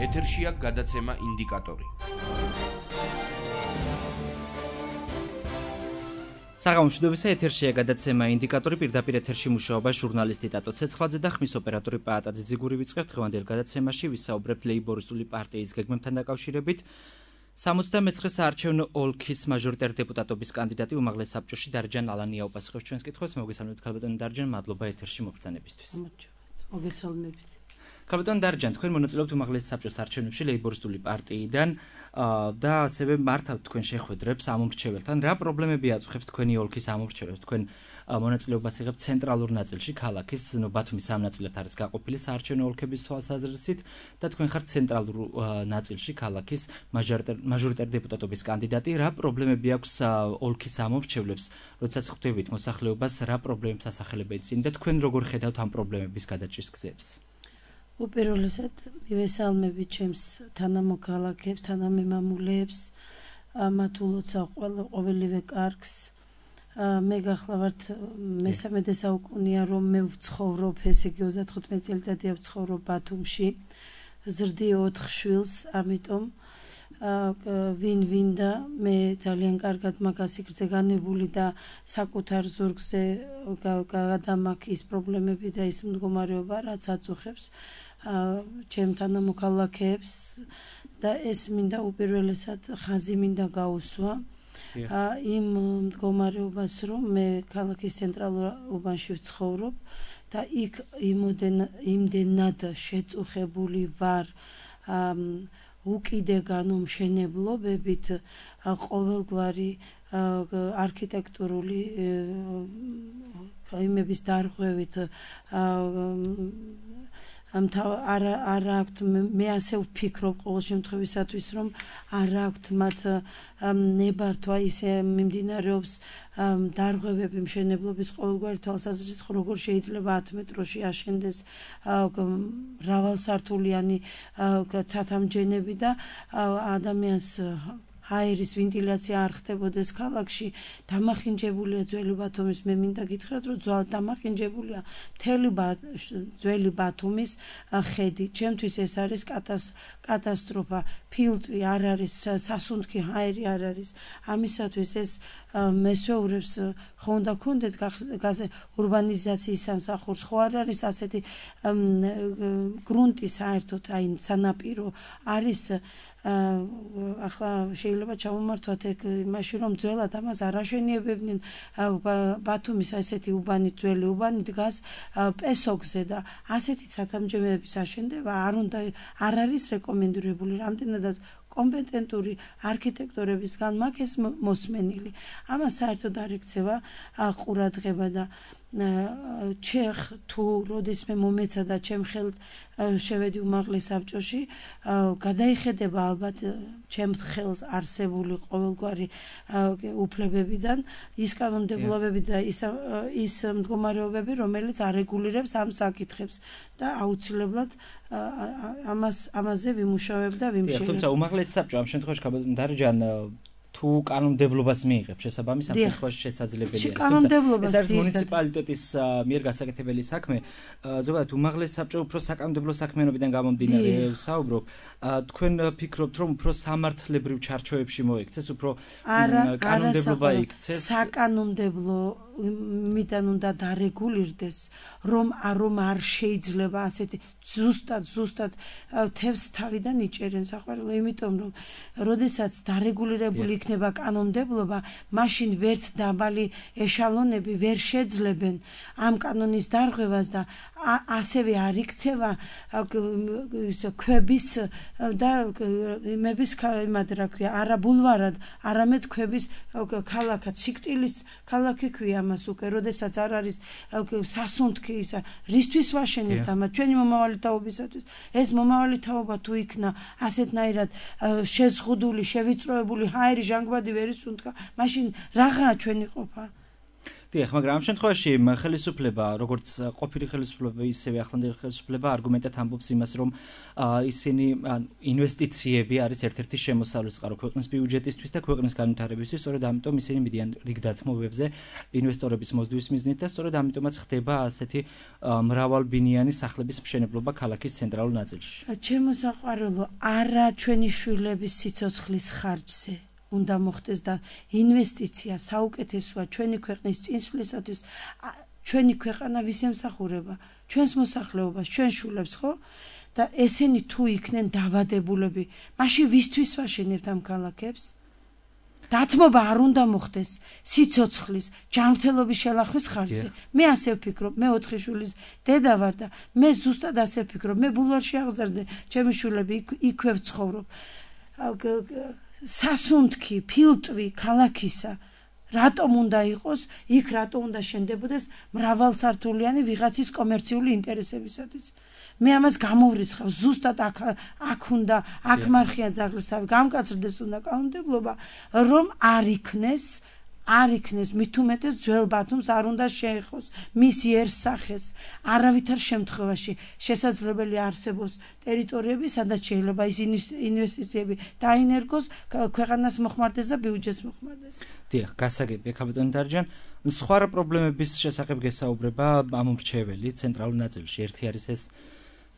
ეთერშია გადაცემა ინდიკატორი. საღამოშუდობისა ეთერშია გადაცემა ინდიკატორი, პირდაპირ ეთერში მუშაობა ჟურნალისტი ტატო ცეცხლაძე და ხმის ოპერატორი პაატაძე ძიგური ვიწყებთ. დღევანდელ გადაცემაში ვისაუბრებთ ლეიბორისტული პარტიის გეგმებთან დაკავშირებით. 79 საარჩევნო ოლქის მაჟორიტარ დეპუტატობის კანდიდატი უმაღლეს საბჭოში დარჯან ალანია უპასუხებს ჩვენს კითხვებს. მოგესალმებით ქალბატონი დარჯან, მადლობა ეთერში მობრძანებისთვის. მოგესალმებით. ქალბატონი დარჯან, თქვენ მონაწილეობთ უმაღლეს საბჭოს არჩევნებში ლეიბორისტული პარტიიდან და ასევე მართავთ თქვენ შეხვედრებს ამომრჩეველთან. რა პრობლემები აწუხებს თქვენი ოლქის ამომრჩეველს? თქვენ მონაწილეობას იღებთ ცენტრალურ ნაწილში, ქალაქის ბათუმის ამ ნაწილად არის გაყოფილი საარჩევნო ოლქების თვალსაზრისით და თქვენ ხართ ცენტრალურ ნაწილში, ქალაქის მაჟორიტარ დეპუტატობის კანდიდატი. რა პრობლემები აქვს ოლქის ამომრჩევლებს, როდესაც ხვდებით მოსახლეობას, რა პრობლემებს ასახელებენ წინ და თქვენ როგორ ხედავთ ამ პრობლემების გადაჭრის გზებს? უპირველესად მივესალმებით ჩემს თანამოქალაქეებს, თანამემამულეებს, მათ ულოცა ყოველივე კარგს. მე გახლავართ მესამედე საუკუნეა რომ მე ვცხოვრობ, ესე იგი 35 წელიწადია ვცხოვრობ ბათუმში. ზრდი 4 შვილს, ამიტომ ვინ-ვინდა მე ძალიან კარგად მაგას იქრზე განებული და საკუთარ ზურგზე გადამაქ ის პრობლემები და ის მდგომარეობა, რაც აწუხებს ჩემ თანამოქალაქეებს და ეს მინდა უპირველესად ხაზი მინდა გაუსვა იმ მდგომარეობას, რომ მე ქალაქის ცენტრალურ უბანში ვცხოვრობ და იქ იმდენად შეწუხებული ვარ უკიდეგანო მშენებლობებით, ყოველგვარი არქიტექტურული იმების დარღვევით არა აქვთ, მე ასე ვფიქრობ ყოველ შემთხვევისათვის, რომ არა აქვთ მათ ნებართვა ისე მიმდინარეობს დარღვევები მშენებლობის ყოველგვარი თვალსაზრისით, როგორ შეიძლება 10 მეტროში აშენდეს მრავალსართულიანი ცათამბჯენები და ადამიანს აერის ვენტილაცია არ ხდებოდეს ქალაქში. დამახინჯებულია ძველი ბათუმის, მე მინდა გითხრათ, რომ დამახინჯებულია მთელი ძველი ბათუმის ხედი. ჩემთვის ეს არის კატასტროფა. ფილტვი არ არის, სასუნთქი აერი არ არის. ამისათვის ეს მესვეურებს ხო უნდა გქონდეთ ურბანიზაციის სამსახურს, ხო არ არის ასეთი გრუნტი საერთოდ, აი სანაპირო არის. ახლა შეიძლება ჩამომართვათ ეგ იმაში, რომ ძველად ამას არ აშენიებებდნენ. ბათუმის ასეთი უბანი, ძველი უბანი დგას პესოგზე და ასეთი ცათამბჯენების აშენდება არ არის რეკომენდირებული. რამდენადაც კომპეტენტური არქიტექტორებისგან მაქვს ეს მოსმენილი. ამას საერთოდ არ ექცევა ყურადღება და ჩეხ თუ როდისმე მომეცა და ჩემ ხელთ შევედი უმაღლეს საბჭოში, გადაიხედება ალბათ ჩემ ხელს არსებული ყოველგვარი უფლებებიდან ის კანონმდებლობები და ის მდგომარეობები, რომელიც არეგულირებს ამ საკითხებს და აუცილებლად ამაზე ვიმუშავებ და ვიმშილებ. თუმცა უმაღლეს საბჭო ამ შემთხვევაში ქალბატონ დარჯან თუ კანონმდებლობას მიიღებს შესაბამის ამ შემთხვევაში შესაძლებელია. ეს არის მუნიციპალიტეტის მიერ გასაკეთებელი საქმე. ზოგადად უმაღლეს საბჭო უფრო საკანონმდებლო საქმიანობიდან გამომდინარე საუბრობ. თქვენ ფიქრობთ, რომ უფრო სამართლებრივ ჩარჩოებში მოიქცეს, უფრო კანონმდებლობა იქცეს? საკანონმდებლო მიდან უნდა დარეგულირდეს, რომ არ შეიძლება ასეთი ზუსტად თევზს თავიდან იჭერენ საყვარელო, იმიტომ რომ როდესაც დარეგულირებული იქნება კანონმდებლობა, მაშინ ვერც დაბალი ეშალონები ვერ შეძლებენ ამ კანონის დარღვევას და ასევე არ იქცევა ქვების და იმების რა ქვია, არა ბულვარად, არამედ ქვების ქალაქად, სიკვდილის ქალაქი ქვია ამას უკვე, როდესაც არ არის სასუნთქი ისა, რისთვის ვაშენებთ ამას ჩვენი მომავალი თაობისათვის. ეს მომავალი თაობა თუ იქნა ასეთნაირად შეზღუდული, შევიწროებული, ჰაერი ჟანგბადი ვერ ისუნთქა, მაშინ რაღაა ჩვენი ყოფა? დიახ, მაგრამ ამ შემთხვევაში ხელისუფლება, როგორც ყოფილი ხელისუფლება, ისევე ახლანდელი ხელისუფლება არგუმენტად ამბობს იმას, რომ ისინი ინვესტიციები არის ერთ-ერთი შემოსავლის წყარო ქვეყნის ბიუჯეტისთვის და ქვეყნის განვითარებისთვის, სწორედ ამიტომ ისინი მიდიან რიგ დათმობებზე ინვესტორების მოსდვის მიზნით და სწორედ ამიტომაც ხდება ასეთი მრავალბინიანი სახლების მშენებლობა ქალაქის ცენტრალურ ნაწილში. ჩემო საყვარელო, არა ჩვენი შვილების სიცოცხლის ხარჯზე უნდა მოხდეს და ინვესტიცია საუკეთესოა ჩვენი ქვეყნის წინსვლისათვის. ჩვენი ქვეყანა ვის ემსახურება? ჩვენს მოსახლეობას, ჩვენ შვილებს, ხო? და ესენი თუ იქნენ დავადებულები, მაშინ ვისთვის ვაშენებთ ამ ქალაქებს? დათმობა არ უნდა მოხდეს სიცოცხლის, ჯანმრთელობის შელახვის ხარჯზე. მე ასე ვფიქრობ, მე 4 შვილის დედა ვარ და მე ზუსტად ასე ვფიქრობ. მე ბულვარში აღზარდე, ჩემი შვილები იქვე ვცხოვრობ. სასუნთქი, ფილტვი ქალაქისა რატომ უნდა იყოს, იქ რატომ უნდა შენდებოდეს მრავალსართულიანი ვიღაცის კომერციული ინტერესებისათვის. მე ამას გამოვრიცხავ, ზუსტად აქ უნდა, აქ მარხია ძაღლის თავი, გამკაცრდეს უნდა კანონმდებლობა, რომ არ იქნეს მით უმეტეს ძველ ბათუმს არ უნდა შეეხოს მის იერსახეს. არავითარ შემთხვევაში შესაძლებელი არსებობს ტერიტორიები, სადაც შეიძლება ის ინვესტიციები დაინერგოს, ქვეყანას მოხმარდეს და ბიუჯეტს მოხმარდეს. დიახ, გასაგებია კაპიტანი დარჯან. სხვა პრობლემების შესახებ გესაუბრება ამომრჩეველი ცენტრალურ ნაწილში. ერთი არის ეს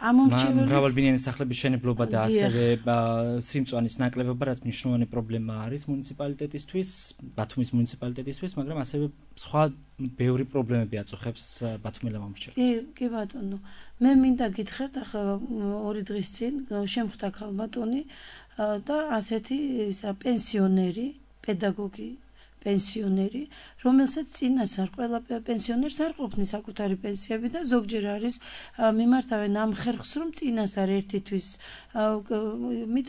მრავალბინიანი სახლების შენებლობა და ასევე სიმწვანის ნაკლებობა, რაც მნიშვნელოვანი პრობლემა არის მუნიციპალიტეტისთვის, ბათუმის მუნიციპალიტეტისთვის, მაგრამ ასევე სხვა ბევრი პრობლემები აწუხებს ბათუმელ ამომრჩეველს. კი ბატონო, მე მინდა გითხრათ, ახლა 2 დღის წინ შემხვდა ქალბატონი და ასეთი პენსიონერი, პედაგოგი პენსიონერი, რომელსაც წინასწარ ყველა პენსიონერს არ ყოფნის საკუთარი პენსიები და ზოგჯერ არის მიმართავენ ამ ხერხს, რომ წინასწარ ერთი თვის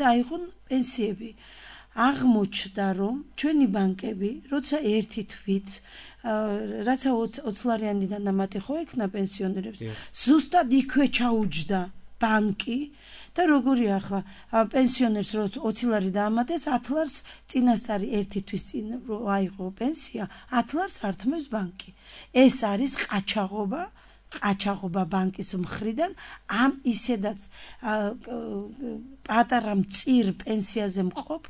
აიღონ პენსიები. აღმოჩნდა, რომ ჩვენი ბანკები, როცა ერთი თვით რაცა 20 ლარიანი დანამატი ხო ექნა პენსიონერებს, ზუსტად იქვე ჩაუჯდა ბანკი და როგორია ახლა პენსიონერს რო 20 ლარი დაამატეს, 10 ლარს წინასწარი ერთი თვის წინ რო აიღო პენსია, 10 ლარს ართმევს ბანკი. ეს არის ყაჩაღობა ბანკის მხრიდან ამ ისედაც პატარა მწირ პენსიაზე მყოფ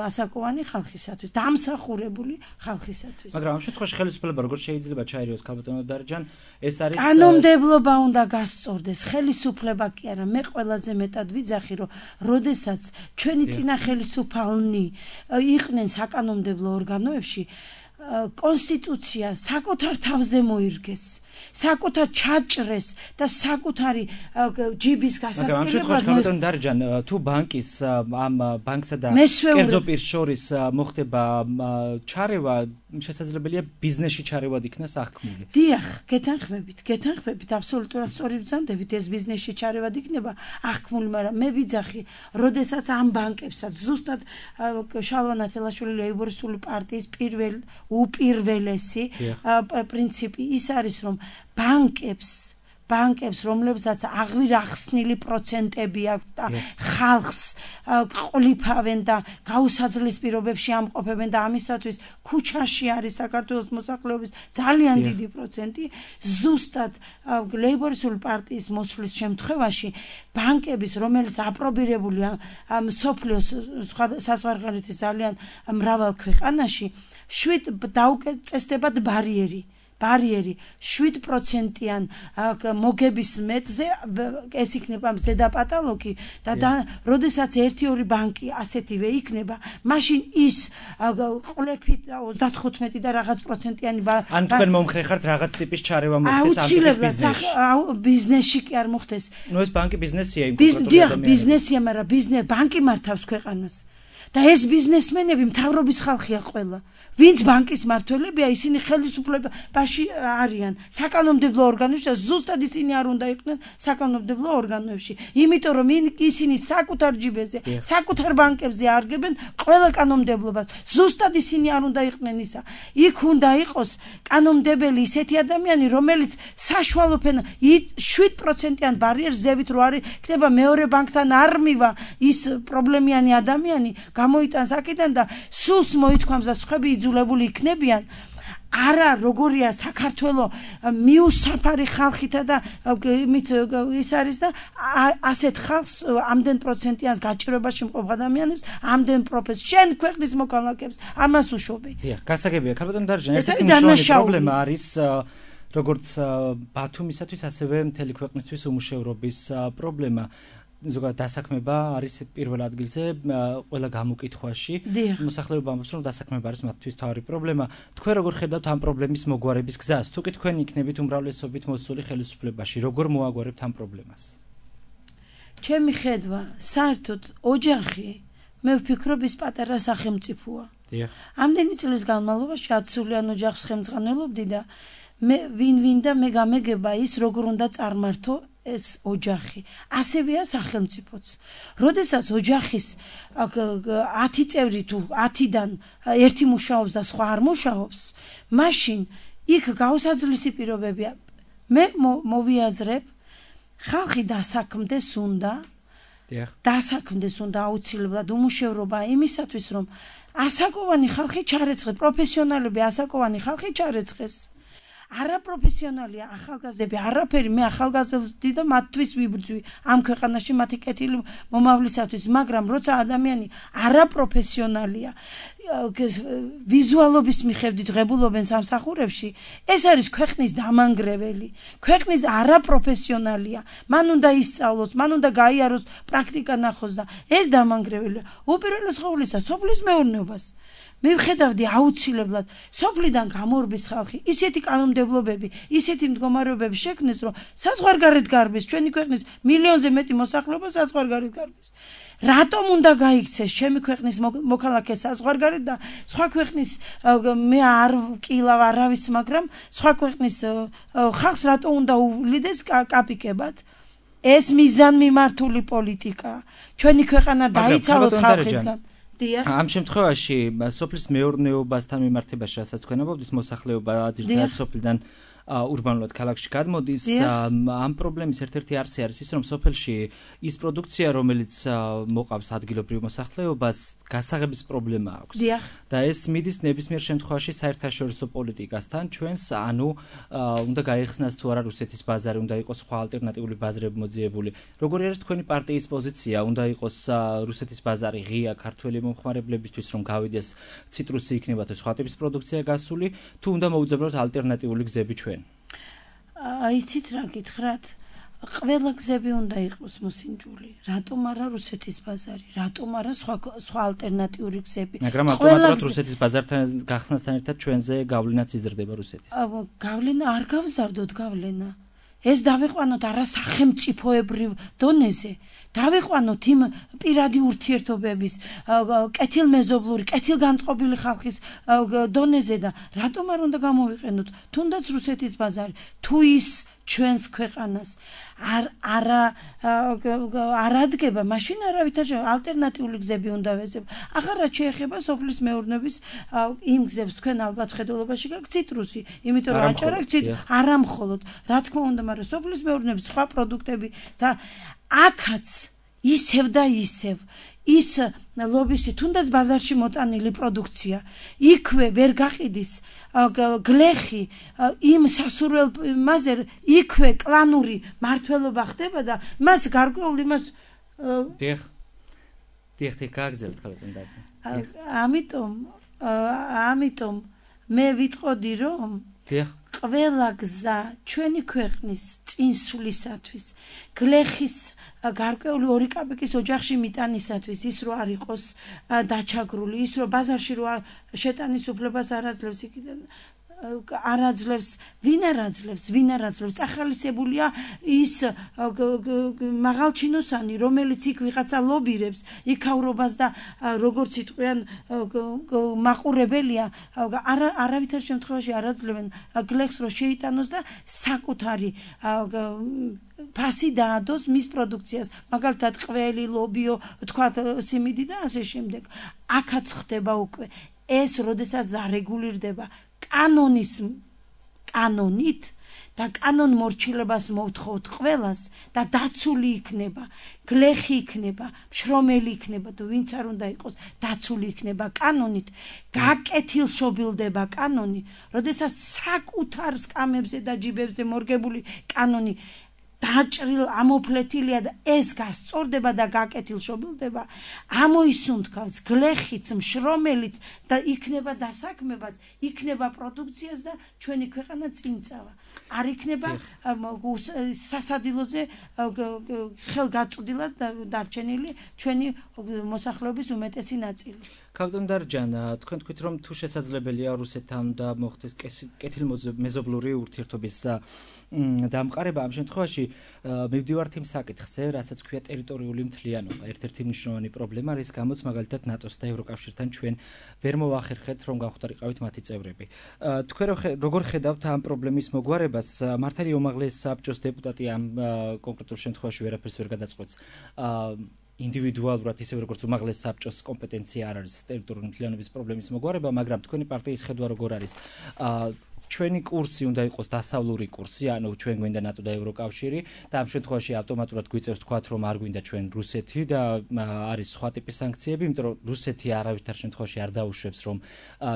ასაკოვანი ხალხისათვის, დამსახურებული ხალხისათვის. მაგრამ ამ შემთხვევაში ხელისუფლება როგორ შეიძლება ჩაერიოს კაპიტანი დარჯან? ეს არის კანონმდებლობა უნდა გასწორდეს, ხელისუფლება კი არა. მე ყველაზე მეტად ვიძახი, რომ როდესაც ჩვენი წინა ხელისუფალნი იყვნენ საკანონმდებლო ორგანოებში, კონსტიტუცია საკუთარ თავზე მოირგეს, საკუთარ ჩაჭრეს და საკუთარი ჯიბის გასასწრებლად. მაგრამ ამ შემთხვევაში კაპიტანი დარჯან, თუ ბანკის ამ ბანკსა და კერძო პირს შორის მოხდება ჩარევა, შესაძლებელია ბიზნესში ჩარევად იქნას აღქმული. დიახ, გეთანხმებით, აბსოლუტურად სწორი ბრძანდებით, ეს ბიზნესში ჩარევად იქნება აღქმული, მაგრამ მე ვიძახი, როდესაც ამ ბანკებსაც ზუსტად შალვა ნათელაშვილი ლეიბორისტული პარტიის უპირველესი პრინციპი ის არის, რომ ბანკებს, რომლებსაც აღვირახსნილი პროცენტები აქვს და ხალხს ყოლიფავენ და გაუსაძლის პირობებში ამყოფებენ და ამისათვის ქუჩაში არის საქართველოს მოსახლეობის ძალიან დიდი პროცენტი, ზუსტად ლეიბორისტული პარტიის მოსვლის შემთხვევაში ბანკების, რომელიც აპრობირებულია მსოფლიოს საზღვარგარეთის ძალიან მრავალ ქვეყანაში, 7 დაუკეთესდებათ ბარიერი 7%-იან მოგების მეტზე ეს იქნება ზედაპატალოგი და როდესაც 1-2 ბანკი ასეთივე იქნება, მაშინ ის ყლეფით 35 და რაღაც პროცენტიანი ან თქვენ მომხრე ხართ რაღაც ტიპის ჩარევა მოხდეს ამ ტიპის ბიზნესში. ბიზნესში კი არ მოხდეს. ნუ ეს ბანკი ბიზნესია იმ კონკრეტულად. ბიზნესია, მაგრამ ბანკი მართავს ქვეყანას. და ეს ბიზნესმენები მთავრობის ხალხია ყველა. ვინც ბანკის მმართველებია, ისინი ხელისუფლებაში არიან, საკანონმდებლო ორგანოებში და ზუსტად ისინი არ უნდა იყვნენ საკანონმდებლო ორგანოებში. იმიტომ რომ ისინი საკუთარ ჯიბეზე, საკუთარ ბანკებზე არგებენ ყველა კანონმდებლობას. ზუსტად ისინი არ უნდა იყვნენ ისა. იქ უნდა იყოს კანონმდებელი ისეთი ადამიანი, რომელიც საშუალო ფენა 7%-იან ბარიერს ზევით რო არის, იქნება მეორე ბანკთან არ მივა ის პრობლემიანი ადამიანი, გამოიტანს აქედან და სულს მოითქვამს და სხვები იძულებული იქნებიან არა როგორია საქართველო მიუსაფარი ხალხითა და იმით ის არის და ასეთ ხალხს ამდენ პროცენტიანს გაჭირვებაში მყოფ ადამიანებს ამდენ პროფეს შენ ქვეყნის მოქალაქეებს ამას უშობი. დიახ, გასაგებია. ქალბატონ დარჯან, ესეთი მნიშვნელოვანი პრობლემა არის როგორც ბათუმისათვის, ასევე მთელი ქვეყნისთვის უმუშევრობის პრობლემა. ზოგადად დასაქმება არის პირველ ადგილზე ყველა გამოკითხვაში. მოსახლეობა ამბობს, რომ დასაქმება არის მათთვის თავი პრობლემა. თქვენ როგორ ხედავთ ამ პრობლემის მოგვარების გზას? თუ კი თქვენ იქნებით უმრავლესობით მოსული ხელისუფლებაში, როგორ მოაგვარებთ ამ პრობლემას? ჩემი ხედვა, საერთოდ ოჯახი, მე ვფიქრობ, ის პატარა სახელმწიფოა. ამდენი წლის განმავლობაში 10 სულიან ოჯახს ხელმძღვანელობდი და მე ვინ და მე გამეგება ის როგორ უნდა წარმართო ეს ოჯახი. ასევეა სახელმწიფოც. როდესაც ოჯახის 10 წევრი თუ 10-დან ერთი მუშაობს და სხვა არ მუშაობს, მაშინ იქ გაუსაძლისი პირობებია. მე მოვიაზრებ, ხალხი დასაქმდეს უნდა. დასაქმდეს უნდა აუცილებლად უმუშევრობა იმისათვის, რომ ასაკოვანი ხალხი ჩარეცხეს, პროფესიონალები ასაკოვანი ხალხი ჩარეცხეს. არაპროფესიონალია ახალგაზრდები, არაფერი მე ახალგაზრდები და მათთვის ვიბრძვი ამ ქვეყანაში მათი კეთილი მომავლისათვის, მაგრამ როცა ადამიანი არაპროფესიონალია, ვიზუალობის მიხედვით ღებულობენ სამსახურებში, ეს არის ქვეყნის დამანგრეველი. ქვეყნის არაპროფესიონალია, მან უნდა ისწავლოს, მან უნდა გაიაროს, პრაქტიკა ნახოს და ეს დამანგრეველია. უპირველეს ყოვლისა, სოფლის მეურნეობას მე ვხედავდი აუცილებლად სოფლიდან გამორბის ხალხი, ისეთი კანონმდებლობები, ისეთი მდგომარეობები შექმნეს, რომ საზღვარგარეთ გარბის, ჩვენი ქვეყნის მილიონზე მეტი მოსახლეობა საზღვარგარეთ გარბის. რატომ უნდა გაიქცეს ჩემი ქვეყნის მოქალაქე საზღვარგარეთ და სხვა ქვეყნის მე არ ვკილავ არავის, მაგრამ სხვა ქვეყნის ხალხს რატომ უნდა უვლიდეს კაპიკებად? ეს მიზანმიმართული პოლიტიკაა. ჩვენი ქვეყანა დაიცალოს ხალხისგან. ამ შემთხვევაში სოფლის მეურნეობასთან მიმართებაში, რასაც თქვენ ამბობთ, მოსახლეობა ძირითადად სოფლიდან ურბანულად ქალაქში გადმოდის. ამ პრობლემის ერთ-ერთი არსი არის ის, რომ სოფელში ის პროდუქცია, რომელიც მოყავს ადგილობრივ მოსახლეობას, გასაღების პრობლემა აქვს. და ეს მიდის ნებისმიერ შემთხვევაში საერთაშორისო პოლიტიკასთან. ჩვენს ანუ უნდა გაიხსნას თუ არა რუსეთის ბაზარი, უნდა იყოს სხვა ალტერნატიული ბაზრები მოძიებული. როგორი არის თქვენი პარტიის პოზიცია? უნდა იყოს რუსეთის ბაზარი ღია ქართველი მომხმარებლებისთვის, რომ გავიდეს ციტრუსი იქნება თუ სხვა ტიპის პროდუქცია გასული, თუ უნდა მოუძებნოთ ალტერნატიული გზები ჩვენ? იცით რა გითხრათ? ყველა გზები უნდა იყოს მოსინჯული. რატომ არა რუსეთის ბაზარი? რატომ არა სხვა ალტერნატიული გზები? მაგრამ ავტომატურად რუსეთის ბაზართან გახსნასთან ერთად ჩვენზე გავლენაც იზრდება რუსეთის. გავლენა არ გავზარდოთ გავლენა. ეს დავიყვანოთ არასახელმწიფოებრივ დონეზე. დავიყვანოთ იმ პირადი ურთიერთობების, კეთილმეზობლური, კეთილგანწყობილი ხალხის დონეზე და რატომ არ უნდა გამოვიყენოთ თუნდაც რუსეთის ბაზარი, თუ ის ჩვენს ქვეყანას არ ადგება, მაშინ არავითარ ალტერნატიული გზები უნდა ვეძებ. ახლა რაც შეეხება სოფლის მეურნეობის იმ გზებს, თქვენ ალბათ ხედულობაში გაქვთ ციტრუსი, იმიტომ რომ აჭარაკ არა მხოლოდ, რა თქმა უნდა, მაგრამ სოფლის მეურნეობის სხვა პროდუქტები აქაც ისევ და ისევ ის ლობისტი თუნდაც ბაზარში მოტანილი პროდუქცია იქვე ვერ გაყიდის გლეხი იმ სასურველ მასზე იქვე კლანური მართლობა ხდება და მას გარკვეული მას დიახ გაგძელთ ხალხთან და ამიტომ მე ვიტყოდი რომ დიახ ყველა გზა ჩვენი ქვეყნის წინსვლისათვის, გლეხის გარკვეული 2 კაპიკის ოჯახში მიტანისათვის, ის რო არ იყოს დაჩაგრული, ის რო ბაზარში რო შეტანის უფლებას არ აძლევს იქიდან არ აძლევს, ვინ არ აძლევს, ახალისებულია ის მაღალჩინოსანი, რომელიც იქ ვიღაცა ლობირებს, იქავრობას და როგორც იტყვიან მაყურებელია, არავითარ შემთხვევაში არ აძლევენ გლეხს რო შეიტანოს და საკუთარი ფასი დაადოს მის პროდუქციას, მაგალითად ყველი, ლობიო, თქვათ სიმინდი და ასე შემდეგ. აქაც ხდება უკვე ეს, როდესაც დარეგულირდება კანონით და კანონ მორჩილებას მოვთხოვთ ყველას და დაცული იქნება, გლეხი იქნება, მშრომელი იქნება და ვინც არ უნდა იყოს, დაცული იქნება კანონით, გაკეთილშობილდება კანონი, როდესაც საკუთარ სკამებზე და ჯიბებზე მორგებული კანონი დაჭრილ ამოფლეთილია და ეს გასწორდება და გაკეთილშობილდება, ამოისუნთქავს გლეხიც, მშრომელიც და იქნება დასაქმებაც, იქნება პროდუქციაც და ჩვენი ქვეყანა წინ წავა. არ იქნება სასადილოზე ხელგაწვდილად დარჩენილი ჩვენი მოსახლეობის უმეტესი ნაწილი. კაპიტან დარჯან, თქვენ თქვით, რომ თუ შესაძლებელია რუსეთთან და მოხდეს კეთილმეზობლური ურთიერთობის დამყარება, ამ შემთხვევაში მივდივართ იმ საკითხზე, რასაც ქვია ტერიტორიული მთლიანობა, ერთ-ერთი მნიშვნელოვანი პრობლემა, რის გამოც მაგალითად ნატოს და ევროკავშირთან ჩვენ ვერ მოვახერხეთ, რომ გავხდარიყავით მათი წევრები. თქვენ როგორ ხედავთ ამ პრობლემის მოგვარებას? მართალი უმაღლეს საბჭოს დეპუტატი ამ კონკრეტულ შემთხვევაში ვერაფერს ვერ გადაწყვეტს. ინდივიდუალურად ისე როგორც უმაღლეს საბჭოს კომპეტენცია არ არის ტერიტორიული მთლიანობის პრობლემის მოგვარება, მაგრამ თქვენი პარტიის ხედვა როგორ არის? ჩვენი კურსი უნდა იყოს დასავლური კურსი, ანუ ჩვენ გვინდა ნატო და ევროკავშირი და ამ შემთხვევაში ავტომატურად გვიწევს თქვათ, რომ არ გვინდა ჩვენ რუსეთი და არის სხვა ტიპის სანქციები, იმიტომ რომ რუსეთი არავითარ შემთხვევაში არ დაუშვებს, რომ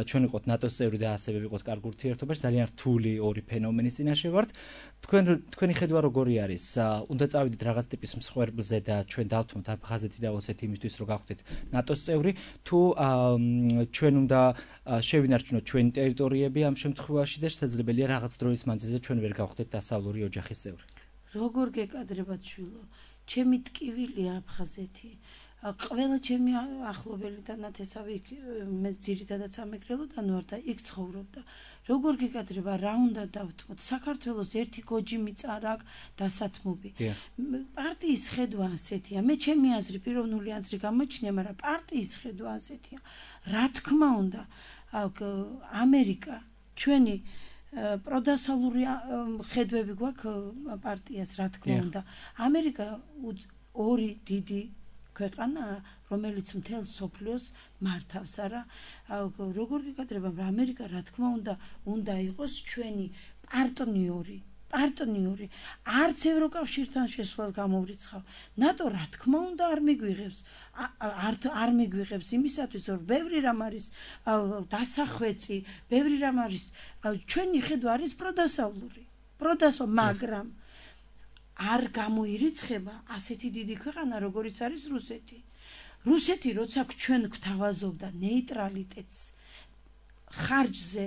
ჩვენ ვიყოთ ნატოს წევრი და ასევე ვიყოთ კარგ ურთიერთობაში, ძალიან რთული ორი ფენომენის წინაშე ვართ. თქვენი ხედვა როგორი არის? უნდა წავიდეთ რაღაც ტიპის მსხვერპლზე და ჩვენ დავთმოთ აფხაზეთი და ოსეთი იმისთვის, რომ გავხდეთ ნატოს წევრი, თუ ჩვენ უნდა შევინარჩუნოთ ჩვენი ტერიტორიები ამ შემთხვევაში და შესაძლებელია რაღაც დროის მანძილზე ჩვენ ვერ გავხდეთ დასავლური ოჯახის წევრი. როგორ გეკადრება ჩვილო? ჩემი ტკივილია აფხაზეთი. ყველა ჩემი ახლობელი და ნათესავი მე ძირითადად სამეგრელოდან ვარ და იქ ცხოვრობდა. როგორ გეკადრება, რა უნდა დავთმოთ? საქართველოს ერთი გოჯი მიწარა დასათმობი. პარტიის ხედვა ასეთია. მე ჩემი აზრი, პიროვნული აზრი გამოჩნია, მაგრამ პარტიის ხედვა ასეთია. რა თქმა უნდა, ამერიკა ჩვენი პროდასალური ხედვები გვაქვს პარტიას, რა თქმა უნდა. ამერიკა ორი დიდი ქვეყანაა, რომელიც მთელ სოფლიოს მართავს, არა? როგორ გეკადრება, ამერიკა რა თქმა უნდა იყოს ჩვენი პარტნიორი. არც ევროკავშირთან შესვლას გამოვრიცხავ. ნატო რა თქმა უნდა არ მიგვიღებს იმისათვის, რომ ბევრი რამ არის დასახვეწი, ბევრი რამ არის ჩვენი ხედვა არის პროდასავლური, მაგრამ არ გამოირიცხება ასეთი დიდი ქვეყანა, როგორიც არის რუსეთი. რუსეთი როცა ჩვენ გვთავაზობდა ნეიტრალიტეტს ხარჯზე,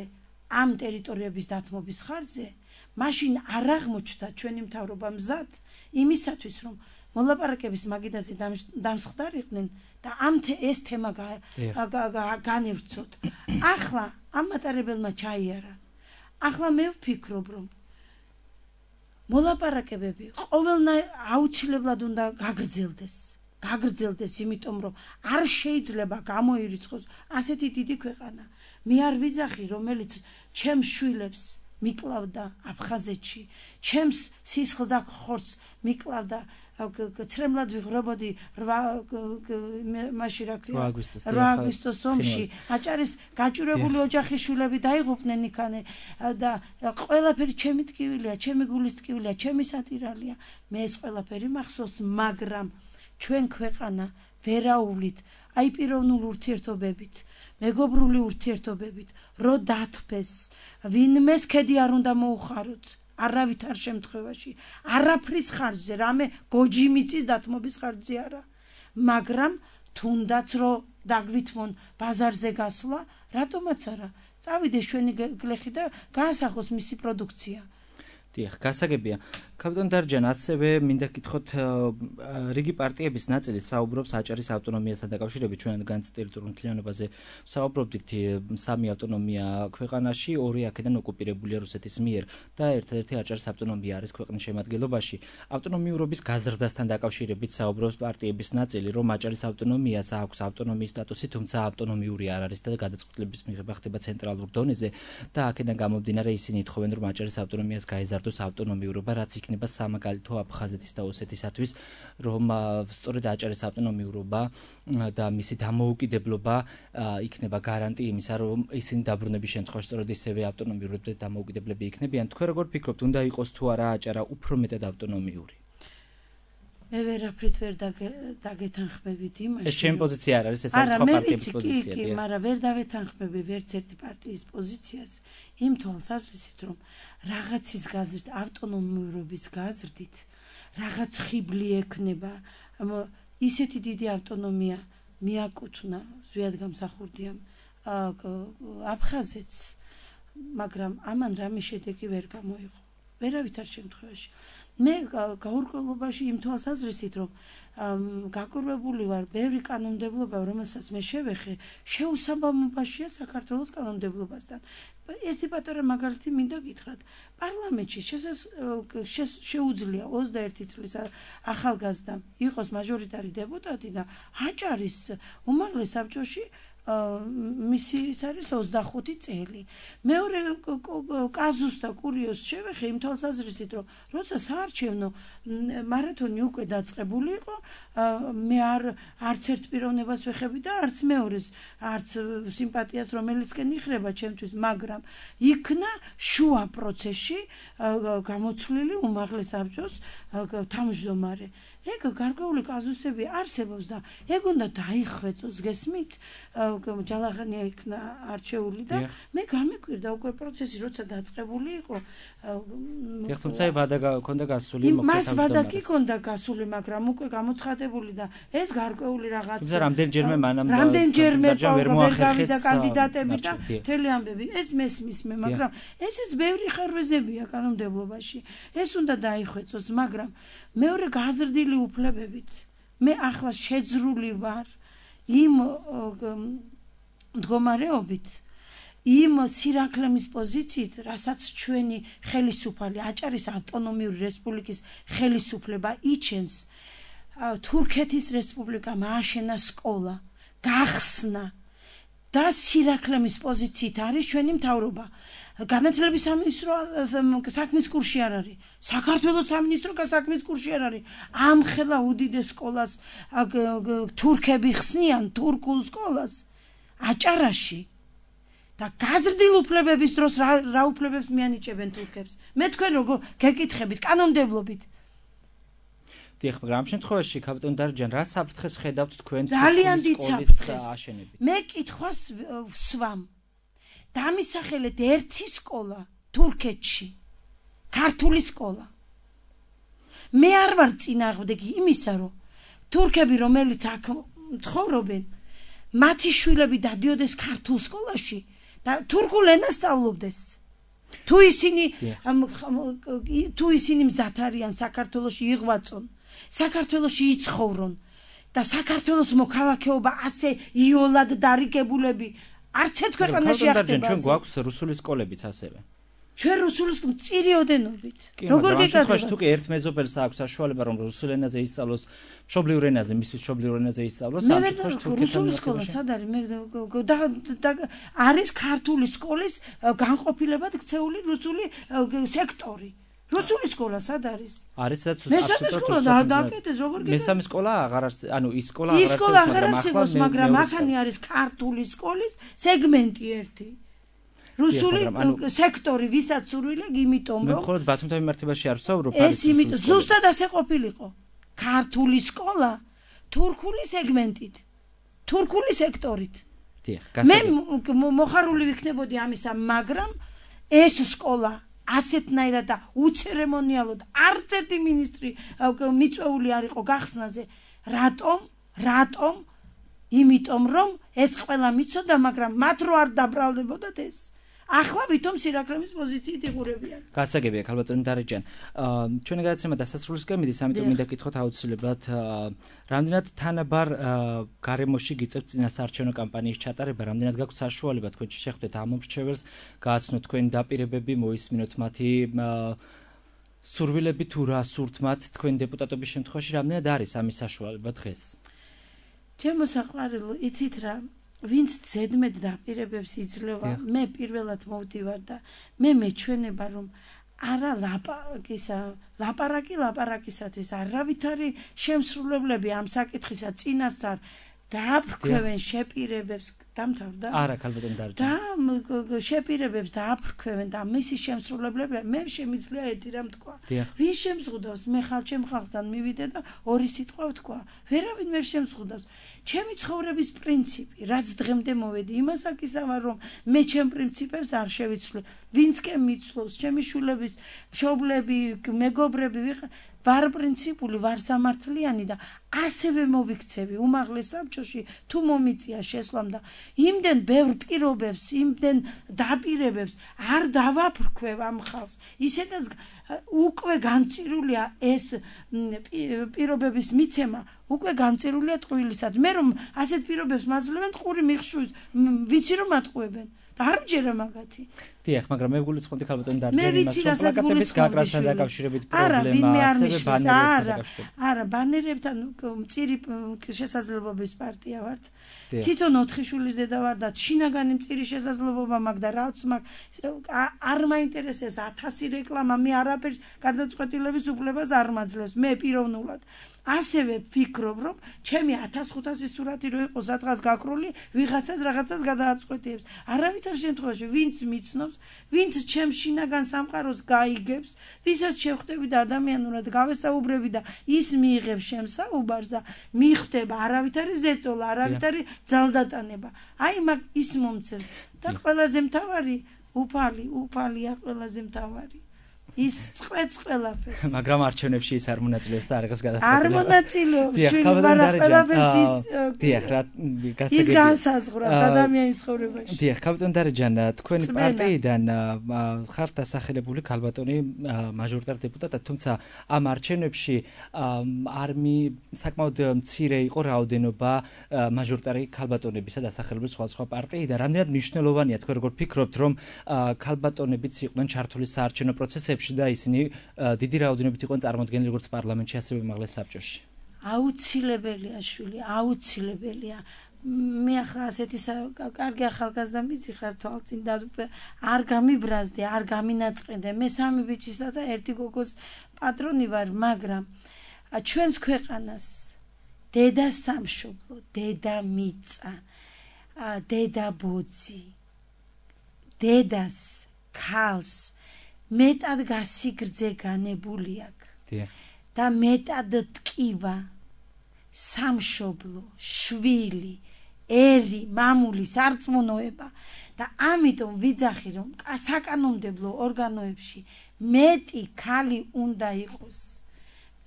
ამ ტერიტორიების დათმობის ხარჯზე, მაშინ არ აღმოჩნდა ჩვენი მთავრობა მზად იმისათვის, რომ მოლაპარაკების მაგიდაზე დამსხდარიყვნენ და ეს თემა განევრცოთ. ახლა ამ მატარებელმა ჩაიარა. ახლა მე ვფიქრობ, რომ მოლაპარაკებები ყოველნაირ აუცილებლად უნდა გაგრძელდეს, იმიტომ რომ არ შეიძლება გამოირიცხოს ასეთი დიდი ქვეყანა. მე არ ვიძახი, რომელიც ჩემს შვილებს მიკლავდა აფხაზეთში, ჩემს სისხლს და ხორცს მიკლავდა, ცრემლად ვიღრებოდი 8 აგვისტოს ომში, აჭარის გაჭირებული ოჯახის შვილები დაიღუპნენ იქანე და ყველაფერი ჩემი ტკივილია, ჩემი გულის ტკივილია, ჩემი სატირალია. მე ეს ყველაფერი მახსოვს, მაგრამ ჩვენ ქვეყანა ვერაუვლით, აი პიროვნული ურთიერთობებით, მეგობრული ურთიერთობებით, რო დათფეს, ვინმეს ქედი არ უნდა მოუხაროთ, არავითარ შემთხვევაში, არაფრის ხარჯზე, რამე გოჯი მიწის დათმობის ხარჯზე არა, მაგრამ თუნდაც რო დაგვითმონ ბაზარზე გასვლა, რატომაც არა, წავიდეს ჩვენი გლეხი და გაასახოს მისი პროდუქცია. დიახ, გასაგებია. კაპიტან დარჯან, ასევე მინდა გითხოთ, რიგი პარტიების ნაწილი საუბრობს აჭარის ავტონომიასთან დაკავშირებით, ჩვენ განც ტერიტორიულ მთლიანობაზე საუბრობდით, 3 ავტონომია ქვეყანაში, 2 აქედან ოკუპირებულია რუსეთის მიერ და ერთ-ერთი აჭარის ავტონომია არის ქვეყნის შემადგენლობაში. ავტონომიურობის გაზრდასთან დაკავშირებით საუბრობს პარტიების ნაწილი, რომ აჭარის ავტონომიას აქვს ავტონომიის სტატუსი, თუმცა ავტონომიური არ არის და გადაწყვეტილების მიღება ხდება ცენტრალურ დონეზე და აქედან გამომდინარე ისინი ითხოვენ, რომ აჭარის ავტონომიას გაეზარდოს ავტონომიურობა, რაც იქნება იქნება სამაგალითო აფხაზეთის და ოსეთისათვის, რომ სწორედ აჭარის ავტონომიურობა და მისი დამოუკიდებლობა იქნება გარანტი იმისა, რომ ისინი დაბრუნების შემთხვევაში სწორედ ისევე ავტონომიურები და დამოუკიდებლები იქნებიან. თქვენ როგორ ფიქრობთ, უნდა იყოს თუ არა აჭარა უფრო მეტად ავტონომიური? მე ვერაფრით ვერ დაგეთანხმებით იმაში. ეს ჩემი პოზიცია არ არის, ეს არის სხვა პარტიების პოზიცია. კი, მაგრამ ვერ დავეთანხმები ვერც ერთი პარტიის პოზიციას იმ თვალსაზრისით, რომ რაღაცის გაზრდით, ავტონომიურობის გაზრდით, რაღაც ხიბლი ექნება, ისეთი დიდი ავტონომია მიაკუთვნა ზვიადგამსახურდიამ აფხაზეთს, მაგრამ ამან რამე შედეგი ვერ გამოიღო. ვერავითარ შემთხვევაში. მე გაურკვევლობაში იმ თვალსაზრისით, რომ გაკურვებული ვარ ბევრი კანონმდებლობა, რომელსაც მე შევეხე, შეუსაბამობაშია საქართველოს კანონმდებლობასთან. ერთი პატარა მაგალითი მინდა გითხრათ. პარლამენტში შეუძლია 21 წლის ახალგაზრდამ იყოს მაჟორიტარი დეპუტატი და აჭარის უმაღლეს საბჭოში მისი ის არის 25 წელი. მეორე კაზუს და კურიოს შევეხე იმ თვალსაზრისით, რომ როცა საარჩევნო მარათონი უკვე დაწყებული იყო, მე არც ერთ პიროვნებას ვეხები და არც მეორეს, არც სიმპათიას, რომელიცკენ იხრება ჩემთვის, მაგრამ იქნა შუა პროცესში გამოცვლილი უმაღლეს საბჭოს თავმჯდომარე. ეგ გარკვეული კაზუსები არსებობს და ეგ უნდა დაიხვეწოს, გესმით? ჯალაღანია იქნა არჩეული და მე გამიკვირდა უკვე პროცესი, როცა დაწყებული იყო. თუმცა ვადა გქონდა გასული, მას ვადა კი ქონდა გასული, მაგრამ უკვე გამოცხადებული და ეს გარკვეული რაღაც. თუმცა რამდენჯერმე მანამ ვერ გავიდა კანდიდატები და მთელი ამბები. ეს მესმის მე, მაგრამ ესეც ბევრი ხარვეზებია კანონმდებლობაში. ეს უნდა დაიხვეწოს, მაგრამ მეორე გაზრდილი უფლებებით მე ახლა შეძრული ვარ იმ მდგომარეობით, იმ სირაქლემის პოზიციით, რასაც ჩვენი ხელისუფალი აჭარის ავტონომიური რესპუბლიკის ხელისუფლება იჩენს. თურქეთის რესპუბლიკამ ააშენა სკოლა, გახსნა და სირაქლემის პოზიციით არის ჩვენი მთავრობა. განათლების სამინისტრო საქმის კურსში არ არის. საქართველოს სამინისტრო საქმის კურსში არ არის. ამხელა უდიდეს სკოლას თურქები ხსნიან, თურქულ სკოლას აჭარაში. და გაზრდილ უფლებების დროს რა უფლებებს მიანიჭებენ თურქებს? მე თქვენ როგორ გეკითხებით კანონმდებლობით? დიახ, მაგრამ ამ შემთხვევაში კაპიტან დარჯან, რა საფრთხეს ხედავთ თქვენ ძალიან დიდ საფრთხეს აშენებით? მე კითხვას ვსვამ. დამისახელეთ ერთი სკოლა თურქეთში, ქართული სკოლა. მე არ ვარ წინააღმდეგი იმისა, რომ თურქები, რომელიც აქ ცხოვრობენ, მათი შვილები დადიოდეს ქართულ სკოლაში და თურქულ ენას სწავლობდეს. თუ ისინი მზად არიან საქართველოში იღვაწონ, საქართველოში იცხოვრონ და საქართველოს მოქალაქეობა ასე იოლად დარიგებულები არც ერთ ქვეყანაში არ ხდება. ჩვენ გვაქვს რუსული სკოლებიც ასევე. ჩვენ რუსულის მწირიოდენობით. როგორ გეკითხებით? თუ კი ერთ მეზობელს აქვს საშუალება, რომ რუსულ ენაზე ისწავლოს, მშობლიურ ენაზე, მისთვის მშობლიურ ენაზე ისწავლოს, ამ შემთხვევაში რუსული სკოლა სად არის? არის ქართული სკოლის განყოფილებად ქცეული რუსული სექტორი. რუსული სკოლა სად არის? არის სადაც მესამე სკოლა დააკეთეს, როგორ გეკითხებით? მესამე სკოლა აღარ არის, ანუ ის სკოლა აღარ არსებობს, მაგრამ ახანი არის ქართული სკოლის სეგმენტი ერთი. რუსული სექტორი, ვისაც სურვილებ, იმიტომ რომ მე მხოლოდ ბათუმთან მიმართებაში არ ვსაუბრობ, ეს იმიტომ ზუსტად ასე ყოფილიყო. ქართული სკოლა თურქული სეგმენტით, თურქული სექტორით. მე მოხარული ვიქნებოდი ამისა, მაგრამ ეს სკოლა ასეთნაირად და უცერემონიალოდ არც ერთი მინისტრი მიწვეული არ იყო გახსნაზე. რატომ? იმიტომ რომ ეს ყველა მიცოდა, მაგრამ მათ რო არ დაბრალდებოდათ ეს. ახლა ვითომ სირაქლემის პოზიციით იღურებიან. გასაგებია, ქალბატონი დარეჯან. ჩვენი გადაცემა დასასრულისკენ მიდის, ამიტომ მინდა გითხოთ აუცილებლად, რამდენად თანაბარ გარემოში გიწევთ წინასაარჩევნო კამპანიის ჩატარება, რამდენად გაქვთ საშუალება თქვენ შეხვდეთ ამ მომრჩეველს, გააცნოთ თქვენი დაპირებები, მოისმინოთ მათი სურვილები თუ რა სურთ მათ თქვენი დეპუტატობის შემთხვევაში, რამდენად არის ამის საშუალება დღეს? ჩემო საყვარელო, იცით რა, ვინც ზედმეტ დაპირებებს იძლევა, მე პირველად მოვდივარ და მე მეჩვენება, რომ არა ლაპარაკისათვის არავითარი შემსრულებლები ამ საკითხისა წინასწარ დააფრქვევენ შეპირებებს დამთავრდა? არა, ქალბატონ დარჯანი. და შეპირებებს დააფრქვევენ და მისი შემსრულებლები მე შემიძლია ერთი რამ თქვა. ვინ შემზღუდავს? მე ჩემ ხალხთან მივიდე და ორი სიტყვა ვთქვა. ვერავინ ვერ შემზღუდავს. ჩემი ცხოვრების პრინციპი, რაც დღემდე მოვედი, იმას აკისავარ, რომ მე ჩემ პრინციპებს არ შევიცვლი. ვინც კი მიცლობს, ჩემი შვილების, მშობლები, მეგობრები ვარ პრინციპული, ვარ სამართლიანი და ასევე მოვიქცევი უმაღლეს საბჭოში თუ მომიწია შესვლამ და იმდენ ბევრ პირობებს, იმდენ დაპირებებს არ დავაფრქვევ ამ ხალხს. ისედაც უკვე განწირულია ეს პირობების მიცემა, უკვე განწირულია ტყუილისად. მე რომ ასეთ პირობებს მაძლევენ ტყური მიხშვის, ვიცი რომ ატყუებენ. და არ მჯერა მაგათი. დიახ, მაგრამ მე გულისხმობდი ქალბატონ დარჯანი იმას, რომ პლაკატების გაკრასთან დაკავშირებით პრობლემა, ასევე ბანერებთან დაკავშირებით. არა, ბანერებთან მწირი შესაძლებლობის პარტია ვართ. თვითონ 4 შვილის დედა ვარ და შინაგანი მწირი შესაძლებლობა მაქვს და რაც მაქვს არ მაინტერესებს 1000 რეკლამა, მე არაფერს გადაწყვეტილების უფლებას არ მაძლევს, მე პიროვნულად. ასევე ვფიქრობ, რომ ჩემი 1500 სურათი რო იყოს სადღაც გაკრული, ვიღაცას რაღაცას გადააწყვეტიებს. არავითარ შემთხვევაში ვინც მიცნობს, ვინც ჩემ შინაგან სამყაროს გაიგებს, ვისაც შევხვდები და ადამიანურად გავესაუბრები და ის მიიღებს შემსაუბარს და მიხვდება არავითარი ზეწოლა, არავითარი ძალდატანება. აი მაგ ის მომცეს და ყველაზე მთავარი უფალია ყველაზე მთავარი. ის წყვეტს ყველაფერს. მაგრამ არჩევნებში ის არ მონაწილეობს და არ იღებს გადაწყვეტილებას. არ მონაწილეობს, ყველაფერს ის განსაზღვრავს ადამიანის ცხოვრებაში. დიახ, ქალბატონ დარჯან, თქვენი პარტიიდან ხართ დასახელებული ქალბატონი მაჟორიტარ დეპუტატად, თუმცა ამ არჩევნებში საკმაოდ მცირე იყო რაოდენობა მაჟორიტარი ქალბატონებისა დასახელებული სხვა პარტიიდან. რამდენად მნიშვნელოვანია თქვენ როგორ ფიქრობთ, რომ ქალბატონებიც იყვნენ ჩართული საარჩევნო პროცესებში და ისინი დიდი რაოდენობით იყვნენ წარმოდგენილი როგორც პარლამენტში, ასევე უმაღლეს საბჭოში. აუცილებელია შვილი, აუცილებელია. მე ახლა ასეთი კარგი ახალგაზრდა მიზიხარ თვალწინ და არ გამიბრაზდე, არ გამინაწყენდე. მე 3 ბიჭისა და 1 გოგოს პატრონი ვარ, მაგრამ ჩვენს ქვეყანას დედა სამშობლო, დედა მიწა, დედა ბოძი, დედას, ქალს მეტად გასიგრძე განებული აქვს და მეტად ტკივა სამშობლო, შვილი, ერი, მამულის არწმუნოება და ამიტომ ვიძახი რომ საკანონმდებლო ორგანოებში მეტი ქალი უნდა იყოს.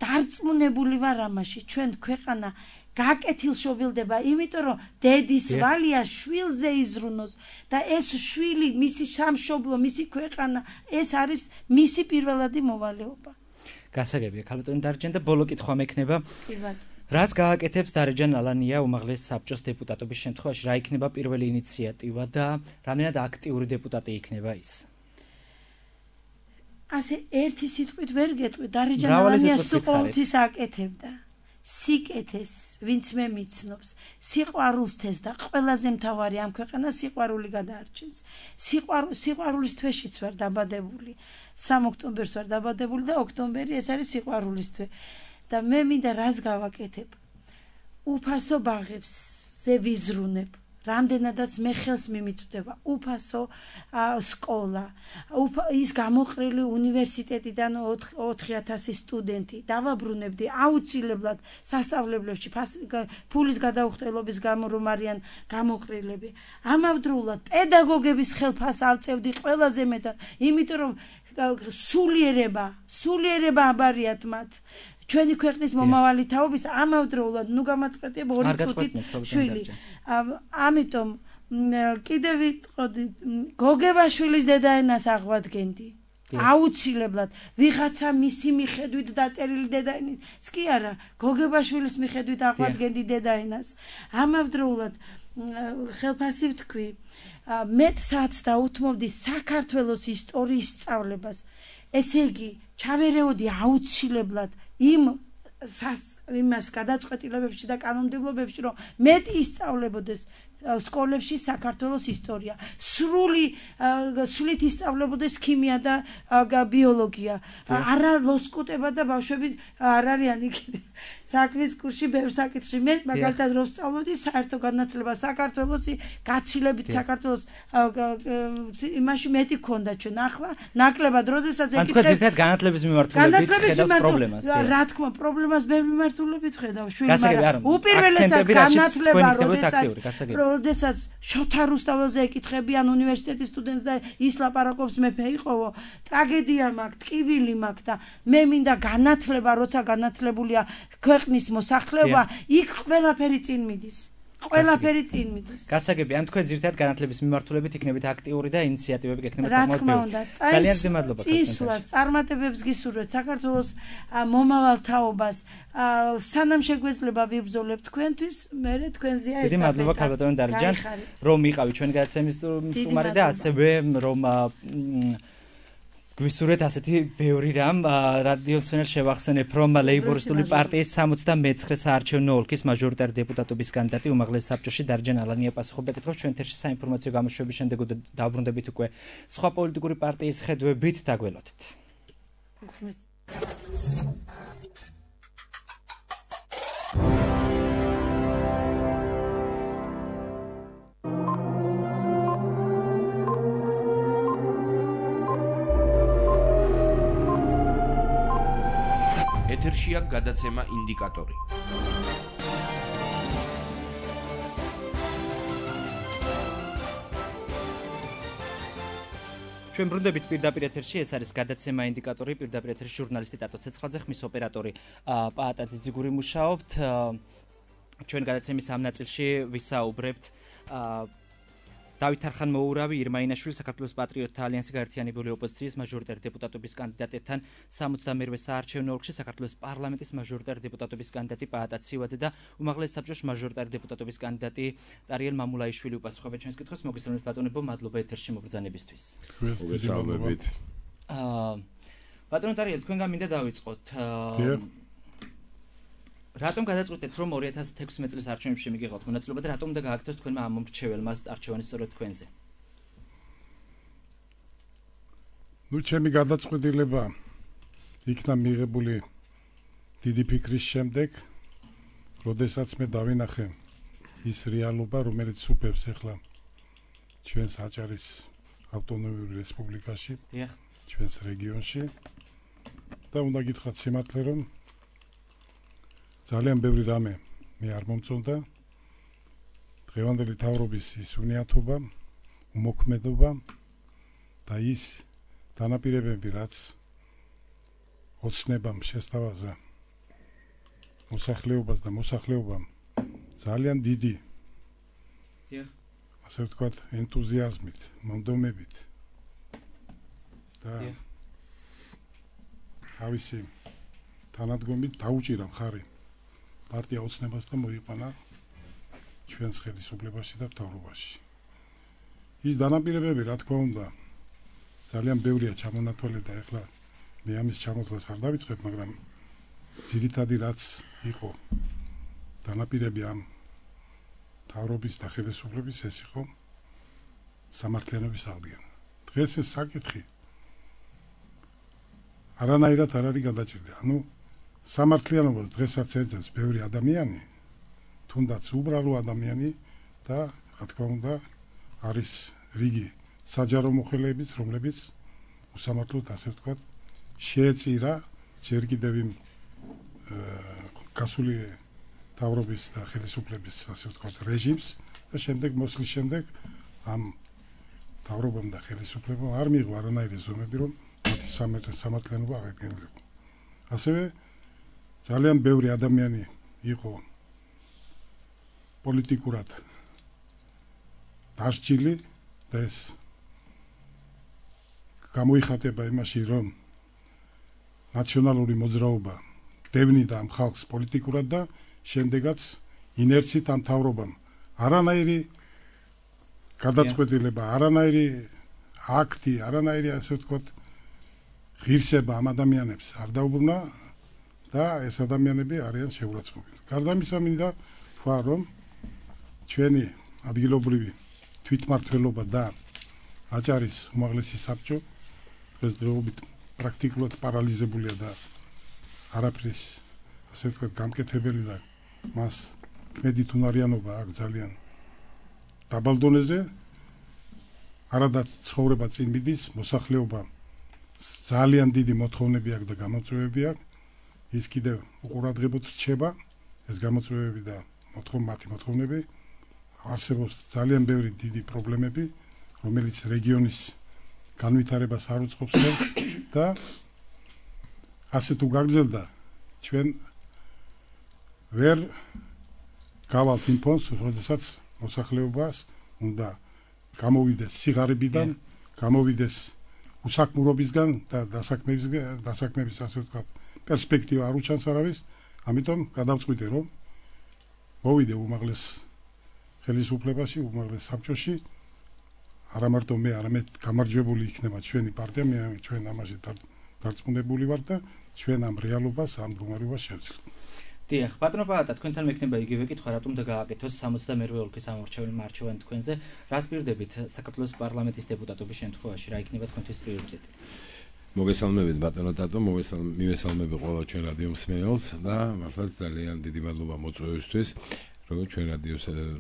დარწმუნებული ვარ ამაში, ჩვენ ქვეყანა გაკეთილშობილდება, იმიტომ რომ დედის ვალია შვილზე იზრუნოს და ეს შვილი, მისი სამშობლო, მისი ქვეყანა, ეს არის მისი პირველადი მოვალეობა. გასაგებია, ქალბატონი დარჯანი და ბოლო კითხვა მექნება. რას გააკეთებს დარჯან ალანია უმაღლეს საბჭოს დეპუტატობის შემთხვევაში, რა იქნება პირველი ინიციატივა და რამდენად აქტიური დეპუტატი იქნება ის? ასე ერთი სიტყვით ვერ გეტყვი, დარჯან ალანია სულ აკეთებდა. სიკეთეს, ვინც მე მიცნობს, სიყვარულს თეს და ყველაზე მთავარი ამ ქვეყანას სიყვარული გადაარჩენს. სიყვარულის თვეშიც ვარ დაბადებული. 3 ოქტომბერს ვარ დაბადებული და ოქტომბერი ეს არის სიყვარულის თვე. და მე მინდა რას გავაკეთებ? უფასო ბაღებს ზე ვიზრუნებ. რამდენადაც მე ხელს მიმიწვდება უფასო სკოლა, ის გამოყრილი უნივერსიტეტიდან 4000 სტუდენტი დავაბრუნებდი აუცილებლად სასწავლებლებში ფულის გადაუხტელობის გამო რომ არიან გამოყრილები. ამავდროულად პედაგოგების ხელფას ავწევდი ყველაზე მეტად, იმიტომ რომ სულიერება აბარიათ მათ. ჩვენი ქვეყნის მომავალი თაობის ამავდროულად ნუ გამაწყვეტია 2 წუთით შვილი. ამიტომ კიდევ ვიტყოდი, გოგებაშვილის დედაენას აღვადგენდი. აუცილებლად ვიღაცა მისი მიხედვით დაწერილი დედაენას კი არა, გოგებაშვილის მიხედვით აღვადგენდი დედაენას. ამავდროულად ხელფასი ვთქვი, მეტსაც დაუთმობდი საქართველოს ისტორიის სწავლებას. ესე იგი, ჩავერეოდი აუცილებლად იმას გადაწყვეტილებებში და კანონმდებლობებში, რომ მეტი ისწავლებოდეს სკოლებში საქართველოს ისტორია. სრულით ისწავლებოდეს ქიმია და ბიოლოგია. არა ლოსკუტება და ბავშვები არ არიან იქ საქმის კურსში ბევრ საკითხში. მე მაგალითად რო ვსწავლობდი საერთო განათლება საქართველოსი გაცილებით საქართველოს იმაში მეტი ქონდა ჩვენ ახლა ნაკლებად როდესაც ეკითხებ თქვენ ძირითადად განათლების მიმართულებით ხედავთ პრობლემას რა თქმა პრობლემას ბევრი მიმართულებით ხედავ შვილი მაგრამ უპირველესად განათლება როდესაც შოთა რუსთაველზე ეკითხებიან უნივერსიტეტის სტუდენტს და ის ლაპარაკობს მეფე იყოვო ტრაგედია მაქვს ტკივილი მაქვს და მე მინდა განათლება როცა განათლებულია ქვეყნის მოსახლეობა იქ ყველაფერი წინ მიდის ყველაფერი წინ მიდის. გასაგები, ან თქვენ ძირითადად განათლების მიმართულებით იქნებით აქტიური და ინიციატივები გექნებათ საკმაოდ ბევრი. ძალიან დიდი მადლობა. წინსვლას, წარმატებებს გისურვებთ საქართველოს მომავალ თაობას. სანამ შეგვეძლება ვიბრძოლებთ თქვენთვის, მე თქვენზეა ეს. დიდი მადლობა ქალბატონო დარიჯან, რომ იყავით ჩვენი გადაცემის სტუმარი და ასევე რომ გვისურვეთ ასეთი ბევრი რამ რადიო მსმენელს შევახსენებ რომ ლეიბორისტული პარტიის 69 საარჩევნო ოლქის მაჟორიტარი დეპუტატობის კანდიდატი უმაღლეს საბჭოში დარიჯან ალანია პასუხობდა კითხვებს ჩვენ ეთერში საინფორმაციო გამოშვების შემდეგ დაუბრუნდებით უკვე სხვა პოლიტიკური პარტიის ხედვებით დაგველოდეთ ეთერშია გადაცემა ინდიკატორი. ჩვენ ბრუნდებით პირდაპირ ეთერში, ეს არის გადაცემა ინდიკატორი, პირდაპირ ეთერში ჟურნალისტი ტატო ცეცხლაძე, ხმის ოპერატორი პაატა ძიძიგური მუშაობთ. ჩვენ გადაცემის ამ ნაწილში ვისაუბრებთ დავით არხან-მოურავი, ირმა ინაშვილი, საქართველოს პატრიოტთა ალიანსი გაერთიანებული ოპოზიციის მაჟორიტარი დეპუტატობის კანდიდატებთან 62-ე საარჩევნო ოლქში საქართველოს პარლამენტის მაჟორიტარი დეპუტატობის კანდიდატი პაატა ცივაძე და უმაღლეს საბჭოს მაჟორიტარი დეპუტატობის კანდიდატი ტარიელ მამულაიშვილი უპასუხებენ ჩვენს კითხვებს. მოგესალმებით ბატონებო, მადლობა ეთერში მობრძანებისთვის. მოგესალმებით. ბატონო ტარიელ, თქვენგან მინდა დავიწყოთ. რატომ გადაწყვეტეთ რომ 2016 წლის არჩევნებში მიგიღოთ მონაწილეობა და რატომ უნდა გააკეთოს თქვენმა ამ მომრჩეველმა არჩევანი სწორედ თქვენზე? ჩემი გადაწყვეტილება იქნა მიღებული დიდი ფიქრის შემდეგ, როდესაც მე დავინახე ის რეალობა, რომელიც სუფევს ახლა ჩვენს აჭარის ავტონომიურ რესპუბლიკაში, ჩვენს რეგიონში და უნდა გითხრათ სიმართლე რომ ძალიან ბევრი რამე მე არ მომწონდა დღევანდელი თავრობის ის უნიათობა, უმოქმედობა და ის დანაპირებები, რაც ოცნებამ შესთავაზა მოსახლეობას და მოსახლეობამ ძალიან დიდი ასე ვთქვათ ენთუზიაზმით, მომდომებით და თავისი თანადგომით დაუჭირა მხარი პარტია ოცნებას და მოიყვანა ჩვენს ხელისუფლებაში და მთავრობაში. ის დანაპირებები, რა თქმა უნდა, ძალიან ბევრია ჩამონათვალე და ეხლა მე ამის ჩამოთვლას არ დავიწყებ, მაგრამ ძირითადი რაც იყო დანაპირები ამ მთავრობის და ხელისუფლების ეს იყო სამართლიანობის აღდგენა. დღეს ეს საკითხი არანაირად არ არის გადაჭრილი. ანუ სამართლიანობას დღესაც ეძებს ბევრი ადამიანი, თუნდაც უბრალო ადამიანი და რა თქმა უნდა არის რიგი საჯარო მოხელეებიც, რომლებიც უსამართლოდ ასე ვთქვათ შეეწირა ჯერ კიდევ იმ გასული თავრობის და ხელისუფლების ასე ვთქვათ რეჟიმს და შემდეგ მოსვლის შემდეგ ამ თავრობამ და ხელისუფლებამ არ მიიღო არანაირი ზომები, რომ მათი სამართლიანობა აღედგენილიყო. ასევე ძალიან ბევრი ადამიანი იყო პოლიტიკურად დასჯილი და ეს გამოიხატება იმაში, რომ ნაციონალური მოძრაობა დევნიდა ამ ხალხს პოლიტიკურად და შემდეგაც ინერცით ამ მთავრობამ არანაირი გადაწყვეტილება, არანაირი აქტი, არანაირი ასე ვთქვათ ღირსება ამ ადამიანებს არ დაუბრუნა და ეს ადამიანები არიან შეურაცხყოფილი. გარდა ამისა მინდა თქვა, რომ ჩვენი ადგილობრივი თვითმმართველობა და აჭარის უმაღლესი საბჭო დღესდღეობით პრაქტიკულად პარალიზებულია და არაფრის ასე ვთქვათ გამკეთებელი და მას კმედით უნარიანობა აქვს ძალიან დაბალ დონეზე. არადაც ცხოვრება წინ მიდის, მოსახლეობა ძალიან დიდი მოთხოვნები აქვს და გამოწვევები აქვს. ის კიდევ უყურადღებოდ რჩება ეს გამოწვევები და მათი მოთხოვნები. არსებობს ძალიან ბევრი დიდი პრობლემები, რომელიც რეგიონის განვითარებას არ უწყობს ხელს და ასე თუ გაგრძელდა ჩვენ ვერ გავალთ იმ ფონს, როდესაც მოსახლეობას უნდა გამოვიდეს სიღარიბიდან, გამოვიდეს უსაქმურობისგან და დასაქმების ასე ვთქვათ პერსპექტივა არ უჩანს არავის. ამიტომ გადავწყვიტე რომ მოვიდე უმაღლეს ხელისუფლებაში, უმაღლეს საბჭოში. არა მარტო მე, არამედ გამარჯვებული იქნება ჩვენი პარტია, ჩვენ ამაში დარწმუნებული ვარ და ჩვენ ამ რეალობას, ამ მდგომარეობას შევცვლით. დიახ, ბატონო პაატა, თქვენთან მექნება იგივე კითხვა, რატომ და გააკეთოს 62-ე ოლქის ამორჩეველი მარჩევანი თქვენზე? რას პირდებით საქართველოს პარლამენტის დეპუტატობის შემთხვევაში, რა იქნება თქვენთვის პრიორიტეტი? მოგესალმებით ბატონო ტატო, მივესალმები ყველა ჩვენ რადიო მსმენელს და მართლაც ძალიან დიდი მადლობა მოწვევისთვის, რომ ჩვენ რადიო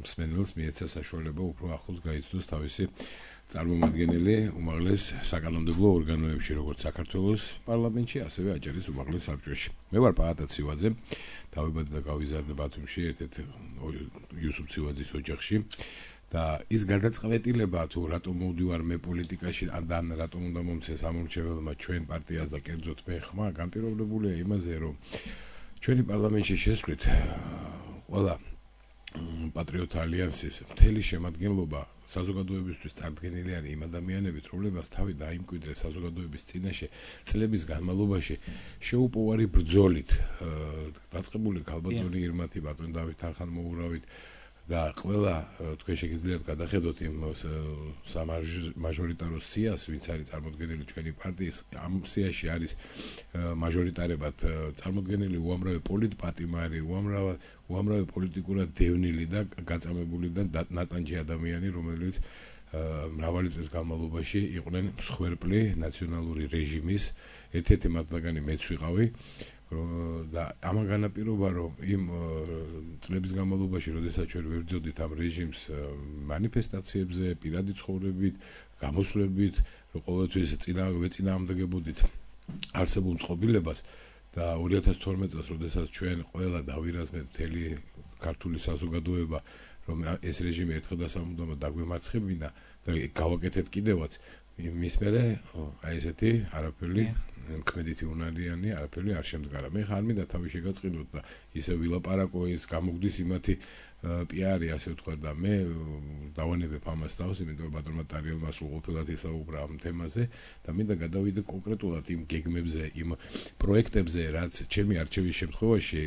მსმენელს მიეცა საშუალება უფრო ახლოს გაიცნოს თავისი წარმომადგენელი უმაღლეს საკანონმდებლო ორგანოებში, როგორც საქართველოს პარლამენტში, ასევე აჭარის უმაღლეს საბჭოში. მე ვარ პაატა ცივაძე, დავიბადე და გავიზარდე ბათუმში, ერთ-ერთ იუსუფ ცივაძის ოჯახში. და ის გარდაწყევეტილება თუ რატომ მოვდივარ მე პოლიტიკაში და რატომ უნდა მომცეს ამორჩეველმა ჩვენ პარტიას და კერძოდ მე ხმა განპირობებულია იმაზე რომ ჩვენი პარლამენტში შესვლით ყველა პატრიოტთა ალიანსის მთელი შემადგენლობა საზოგადოებისთვის წარდგენილი არის იმ ადამიანებით, რომლებმაც თავი დაიმკვიდრეს საზოგადოების წინაშე წლების განმავლობაში შეუპოვარი ბრძოლით დაწყებული ქალბატონი ირმათი ბატონ დავით არხანმოურავით და ყველა თქვენ შეგიძლიათ გადახედოთ იმ სამაჟორიტარო სიას, ვინც არის წარმოდგენილი ჩვენი პარტიის, ამ სიაში არის მაჟორიტარებად წარმოდგენილი უამრავი პოლიტპატიმარი, უამრავი პოლიტიკურად დევნილი და გაწამებული და ნატანჯი ადამიანი, რომელიც მრავალი წლის განმავლობაში იყვნენ მსხვერპლი ნაციონალური რეჟიმის, ერთ-ერთი მათგანი მეც ვიყავი. და ამან განაპირობა რომ იმ წლების განმავლობაში, როდესაც ჩვენ ვებრძოდით ამ რეჟიმს მანიფესტაციებზე, პირადი ცხოვრებით, გამოსვლებით, რომ ყოველთვის ვეწინააღმდეგებოდით არსებულ წყობილებას და 2012 წელს, როდესაც ჩვენ ყველა დავირაზმეთ მთელი ქართული საზოგადოება, რომ ეს რეჟიმი ერთხელ და სამუდამოდ დაგვემარცხებინა და გავაკეთეთ კიდევაც მის მერე აი ესეთი არაფერი კმედითი უნარიანი არაფერი არ შემდგარა. მე ხარ მინდა თავი შეგაწყინოთ და ისე ვილაპარაკო ის გამოგდის იმათი პიარი ასე ვთქვათ და მე დავანებებ ამას თავს, იმიტომ რომ ბატონმა ტარიელმა სრულყოფილად ისაუბრა ამ თემაზე და მინდა გადავიდე კონკრეტულად იმ გეგმებზე, იმ პროექტებზე, რაც ჩემი არჩევის შემთხვევაში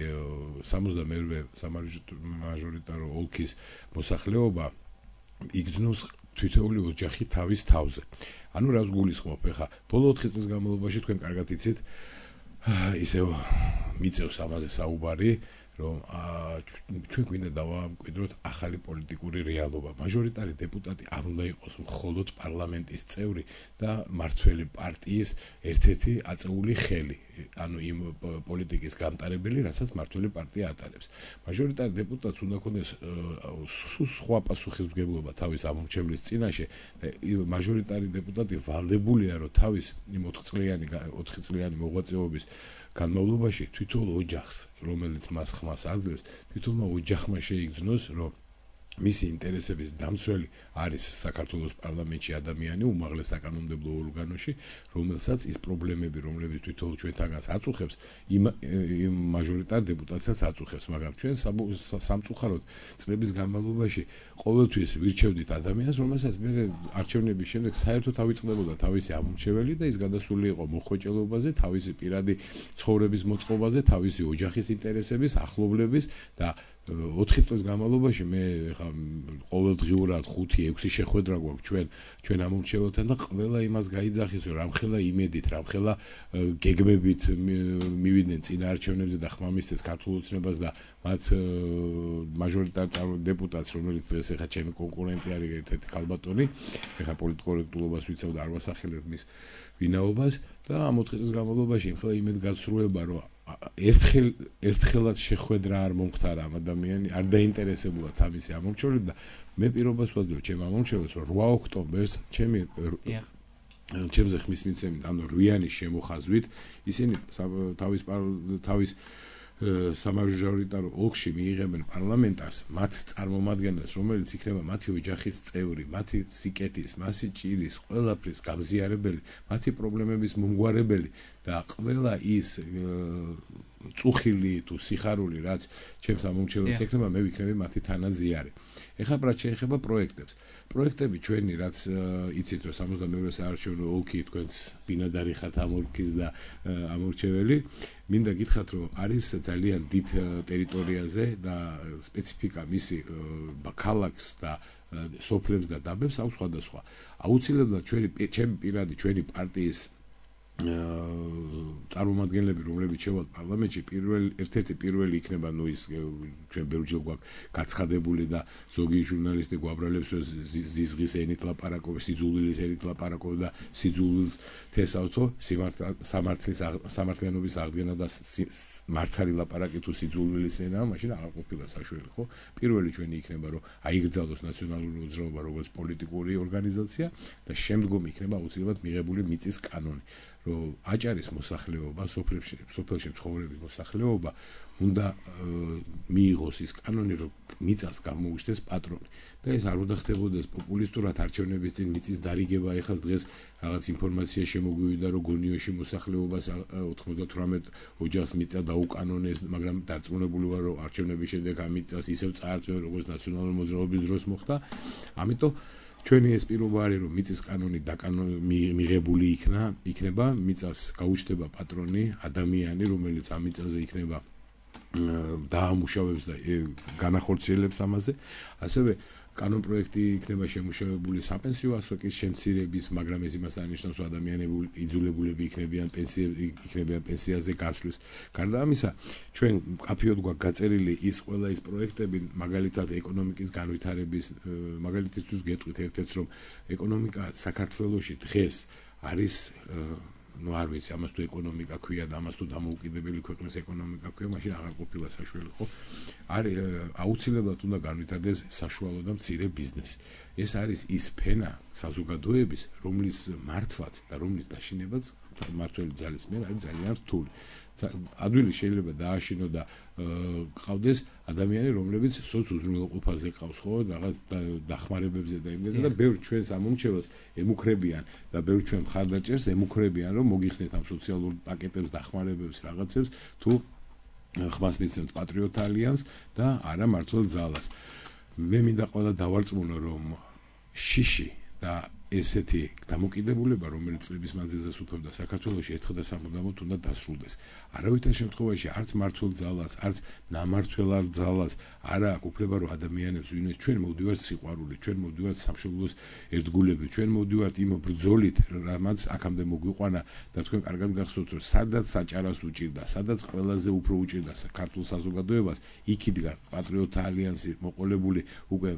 62-ე სამაჟორიტარო ოლქის მოსახლეობა იგრძნოს თითოეული ოჯახი თავის თავზე. ანუ რას გულისხმობ ხა? ბოლო 4 წლის განმავლობაში თქვენ კარგად იცით, ისევ მიწევს ამაზე საუბარი, რომ ჩვენ გვინდა დავამკვიდროთ ახალი პოლიტიკური რეალობა. მაჟორიტარი დეპუტატი არ უნდა იყოს მხოლოდ პარლამენტის წევრი და მმართველი პარტიის ერთ-ერთი აწეული ხელი, ანუ იმ პოლიტიკის გამტარებელი, რასაც მმართველი პარტია ატარებს. მაჟორიტარი დეპუტატს უნდა ქონდეს სხვა პასუხისმგებლობა თავის ამორჩევლის წინაშე. მაჟორიტარი დეპუტატი ვალდებულია, რომ თავის იმ 4 წლიანი მოღვაწეობის განმავლობაში თვითონ ოჯახს, რომელიც მას ხმას აძლევს, თვითონმა ოჯახმა შეიგრძნოს, რომ მისი ინტერესების დამცველი არის საქართველოს პარლამენტში ადამიანი უმაღლეს საკანონმდებლო ორგანოში, რომელსაც ის პრობლემები, რომლებიც თვითონ ჩვენთანაც აწუხებს, იმ მაჟორიტარ დეპუტატსაც აწუხებს, მაგრამ ჩვენ სამწუხაროდ წლების განმავლობაში ყოველთვის ვირჩევდით ადამიანს, რომელსაც მე არჩევნების შემდეგ საერთოდ ავიწყდებოდა თავისი ამორჩეველი და ის გადასული იყო მოხვეჭელობაზე, თავისი პირადი ცხოვრების მოწყობაზე, თავისი ოჯახის ინტერესების, ახლობლების და 4 წლის განმავლობაში მე ხა ყოველდღიურად 5-6 შეხვედრა გვაქვს ჩვენ ამომრჩეველთან და ყველა იმას გაიძახის რომ რამხელა იმედით, რამხელა გეგმებით მივიდნენ წინა არჩევნებზე და ხმამისცეს ქართულ ოცნებას და მათ მაჟორიტარ დეპუტატს, რომელიც დღეს ეხა ჩემი კონკურენტი არის ერთ-ერთი ქალბატონი, ეხა პოლიტკორექტულობას ვიცავ და არ ვასახელებ მის ვინაობას და ამ 4 წლის განმავლობაში ხლა იმედგაცრუება რომ ერთხელაც შეხვედრა არ მომხდარა ამ ადამიანი, არ დაინტერესებულა თავისი ამომრჩევლები და მე პირობას ვაძლევ ჩემ ამომრჩეველს რომ 8 ოქტომბერს ჩემზე ხმის მიცემით, ანუ რვიანის შემოხაზვით ისინი თავის სამაჟორიტარო ოლქში მიიღებენ პარლამენტარს მათ წარმომადგენელს, რომელიც იქნება მათი ოჯახის წევრი, მათი სიკეთის, მათი ჭირის, ყველაფრის გამზიარებელი, მათი პრობლემების მომგვარებელი და ყველა ის წუხილი თუ სიხარული, რაც ჩემს ამომრჩეველს ექნება, მე ვიქნები მათი თანაზიარი. ეხლა რაც შეეხება პროექტებს. პროექტები ჩვენი, რაც იცით, რომ 72 საარჩევნო ოლქი თქვენს ბინადარი ხართ ამ ოლქის და ამორჩეველი, მინდა გითხრათ, რომ არის ძალიან დიდ ტერიტორიაზე და სპეციფიკა მისი ქალაქს და სოფლებს და დაბებს აქვს სხვადასხვა. აუცილებლად ჩემი პირადი ჩვენი პარტიის წარმომადგენლები, რომლებიც შევალთ პარლამენტში, ერთ-ერთი პირველი იქნება, ნუ ის ჩვენ ბევრჯერ გვაქვს გაცხადებული და ზოგი ჟურნალისტი გვაბრალებს, რომ ზიზღის ენით ლაპარაკობს, სიძულვილის ენით ლაპარაკობს და სიძულვილს თესავთო, სამართლიანობის აღდგენა და მართალი ლაპარაკი თუ სიძულვილის ენაა, მაშინ აღარ ყოფილა საშუალო, ხო? პირველი ჩვენი იქნება, რომ აიგრძალოს ნაციონალური მოძრაობა როგორც პოლიტიკური ორგანიზაცია და შემდგომ იქნება აუცილებლად მიღებული მიწის კანონი. რომ აჭარის მოსახლეობა, სოფელში მცხოვრების მოსახლეობა უნდა მიიღოს ის კანონი, რომ მიწას გამოუჩნდეს პატრონი. და ეს არ უნდა ხდებოდეს პოპულისტურად არჩევნების წინ მიწის დარიგება. ეხლა დღეს რაღაც ინფორმაცია შემოგვივიდა, რომ გონიოში მოსახლეობას 98 ოჯახს მიწა დაუკანონეს, მაგრამ დარწმუნებული ვარ, რომ არჩევნების შემდეგ ამ მიწას ისევ წაართვენ, როგორც ნაციონალური მოძრაობის დროს მოხდა. ამიტომ ჩვენი ეს პირობა არის, რომ მიწის კანონი მიღებული იქნება, მიწას გაუჩნდება პატრონი, ადამიანი, რომელიც ამ მიწაზე იქნება დაამუშავებს და განახორციელებს ამაზე. ასევე კანონ პროექტი იქნება შემუშავებული საპენსიო ასაკის შემცირების, მაგრამ ეს იმას არნიშნავს, რომ ადამიანები იძულებულები იქნებიან პენსიაზე გასვლის. გარდა ამისა, ჩვენ კაფეოდ გვაქვს გაწერილი ყველა ის პროექტები, მაგალითად ეკონომიკის განვითარების, მაგალითისთვის გეტყვით ერთ-ერთს, რომ ეკონომიკა საქართველოში დღეს არის ну არ ვიცი ამას თუ ეკონომიკა ქვია და ამას თუ დამოუკიდებელი ქვეყნის ეკონომიკა ქვია, მაშინ აღარ ყოფილა საშუალო, ხო? არის აუცილებლად უნდა განვითარდეს საშუალო და მცირე ბიზნესი. ეს არის ის ფენა საზოგადოების, რომლის მართვაც და რომლის დაშინებაც მართველი ძალის მიერ არის ძალიან რთული. ადვილი შეიძლება დააშინო და ყავდეს ადამიანი, რომლებიც სოც უზრუნველყოფაზე ყავს, ხო, რაღაც დახმარებებზე და იმაზე და ბევრ ჩვენს ამომრჩეველს ემუქრებიან და ბევრ ჩვენ მხარდაჭერს ემუქრებიან, რომ მოგიხსნეთ ამ სოციალურ პაკეტებს, დახმარებებს, რაღაცებს, თუ ხმას მიცემთ პატრიოტ ალიანსს და არა მართლ ძალას. მე მინდა ყველა დავარწმუნო, რომ შიში და ესეთი დამოკიდებულება, რომელიც წლების მანძილზე სუფევდა საქართველოში, ერთხელ და სამუდამოდ უნდა დასრულდეს. არავითარ შემთხვევაში არც მართლ ძალას, არც ნამართლ ძალას არ აქვს უფლება, რომ ადამიანებს ვინმე ჩვენ მოვდივართ სიყვარული, ჩვენ მოვდივართ სამშობლოს ერთგულებით, ჩვენ მოვდივართ იმ ბრძოლით, რამაც აქამდე მოგვიყვანა და თქვენ კარგად გახსოვთ, რომ სადაც საჭარას უჭირდა, სადაც ყველაზე უფრო უჭირდა საქართველოს საზოგადოებას, იქ იდგა პატრიოტ ალიანსი მოყოლებული უკვე